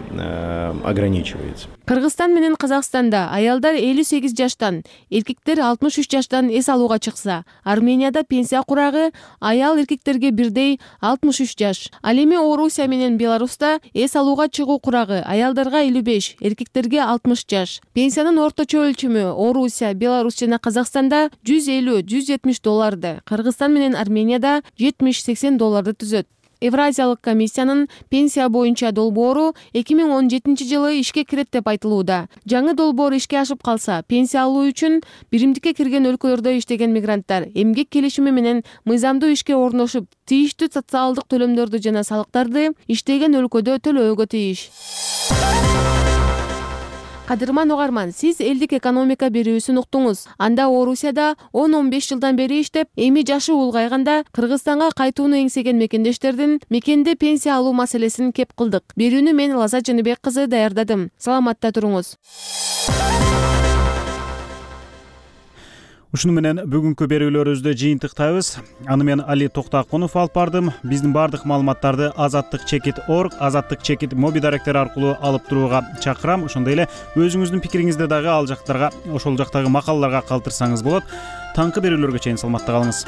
ограничивается. Кыргызстан менен Казакстанда аялдар 58 жаштан, эркектер 63 жаштан эс алууга чыкса, Арменияда пенсия курагы аял эркектерге бирдей 63 жаш. Ал эми Орусия менен Беларуста эс алууга чыгуу курагы аялдарга 55, эркектерге 60 жаш. Пенсиянын орточо өлчөмү Орусия, Беларусь жана Казакстанда $150–170, Кыргызстан менен Арменияда $70–80 түзөт. Евразиялык комиссиянын пенсия боюнча долбоору 2017 жылы ишке кирет деп айтылууда. Жаңы долбоор ишке ашып калса, пенсия алуу үчүн биримдикке кирген өлкөлөрдө иштеген мигранттар эмгек келишими менен мыйзамдуу ишке орношуп, тийиштүү социалдык төлөмдөрдү жана салыктарды иштеген өлкөдө төлөөгө тийиш. Кадырман угарман, сиз элдик экономика берүүсүн уктуңуз. Анда Орусияда 10-15 жылдан бери иштеп, эми жашы улгайганда Кыргызстанга кайтууну эңсеген мекендештердин мекенде пенсия алуу маселесин кеп кылдык. Берүүнү мен Лаза Жаныбек кызы даярдадым. Саламатта туруңуз. Ушуну менен бүгүнкү берүүлөрүбүздү жыйынтыктайбыз. Аны мен Али Токтакунов алып бардым. Биздин бардык маалыматтарды azattik.org, azattik моби даректери аркылуу алып турууга чакырам. Ошондой эле өзүңүздүн пикириңизди дагы ал жактарга, ошол жактагы макалаларга калтырсаңыз болот. Таңкы берүүлөргө чейин саламатта калыңыз.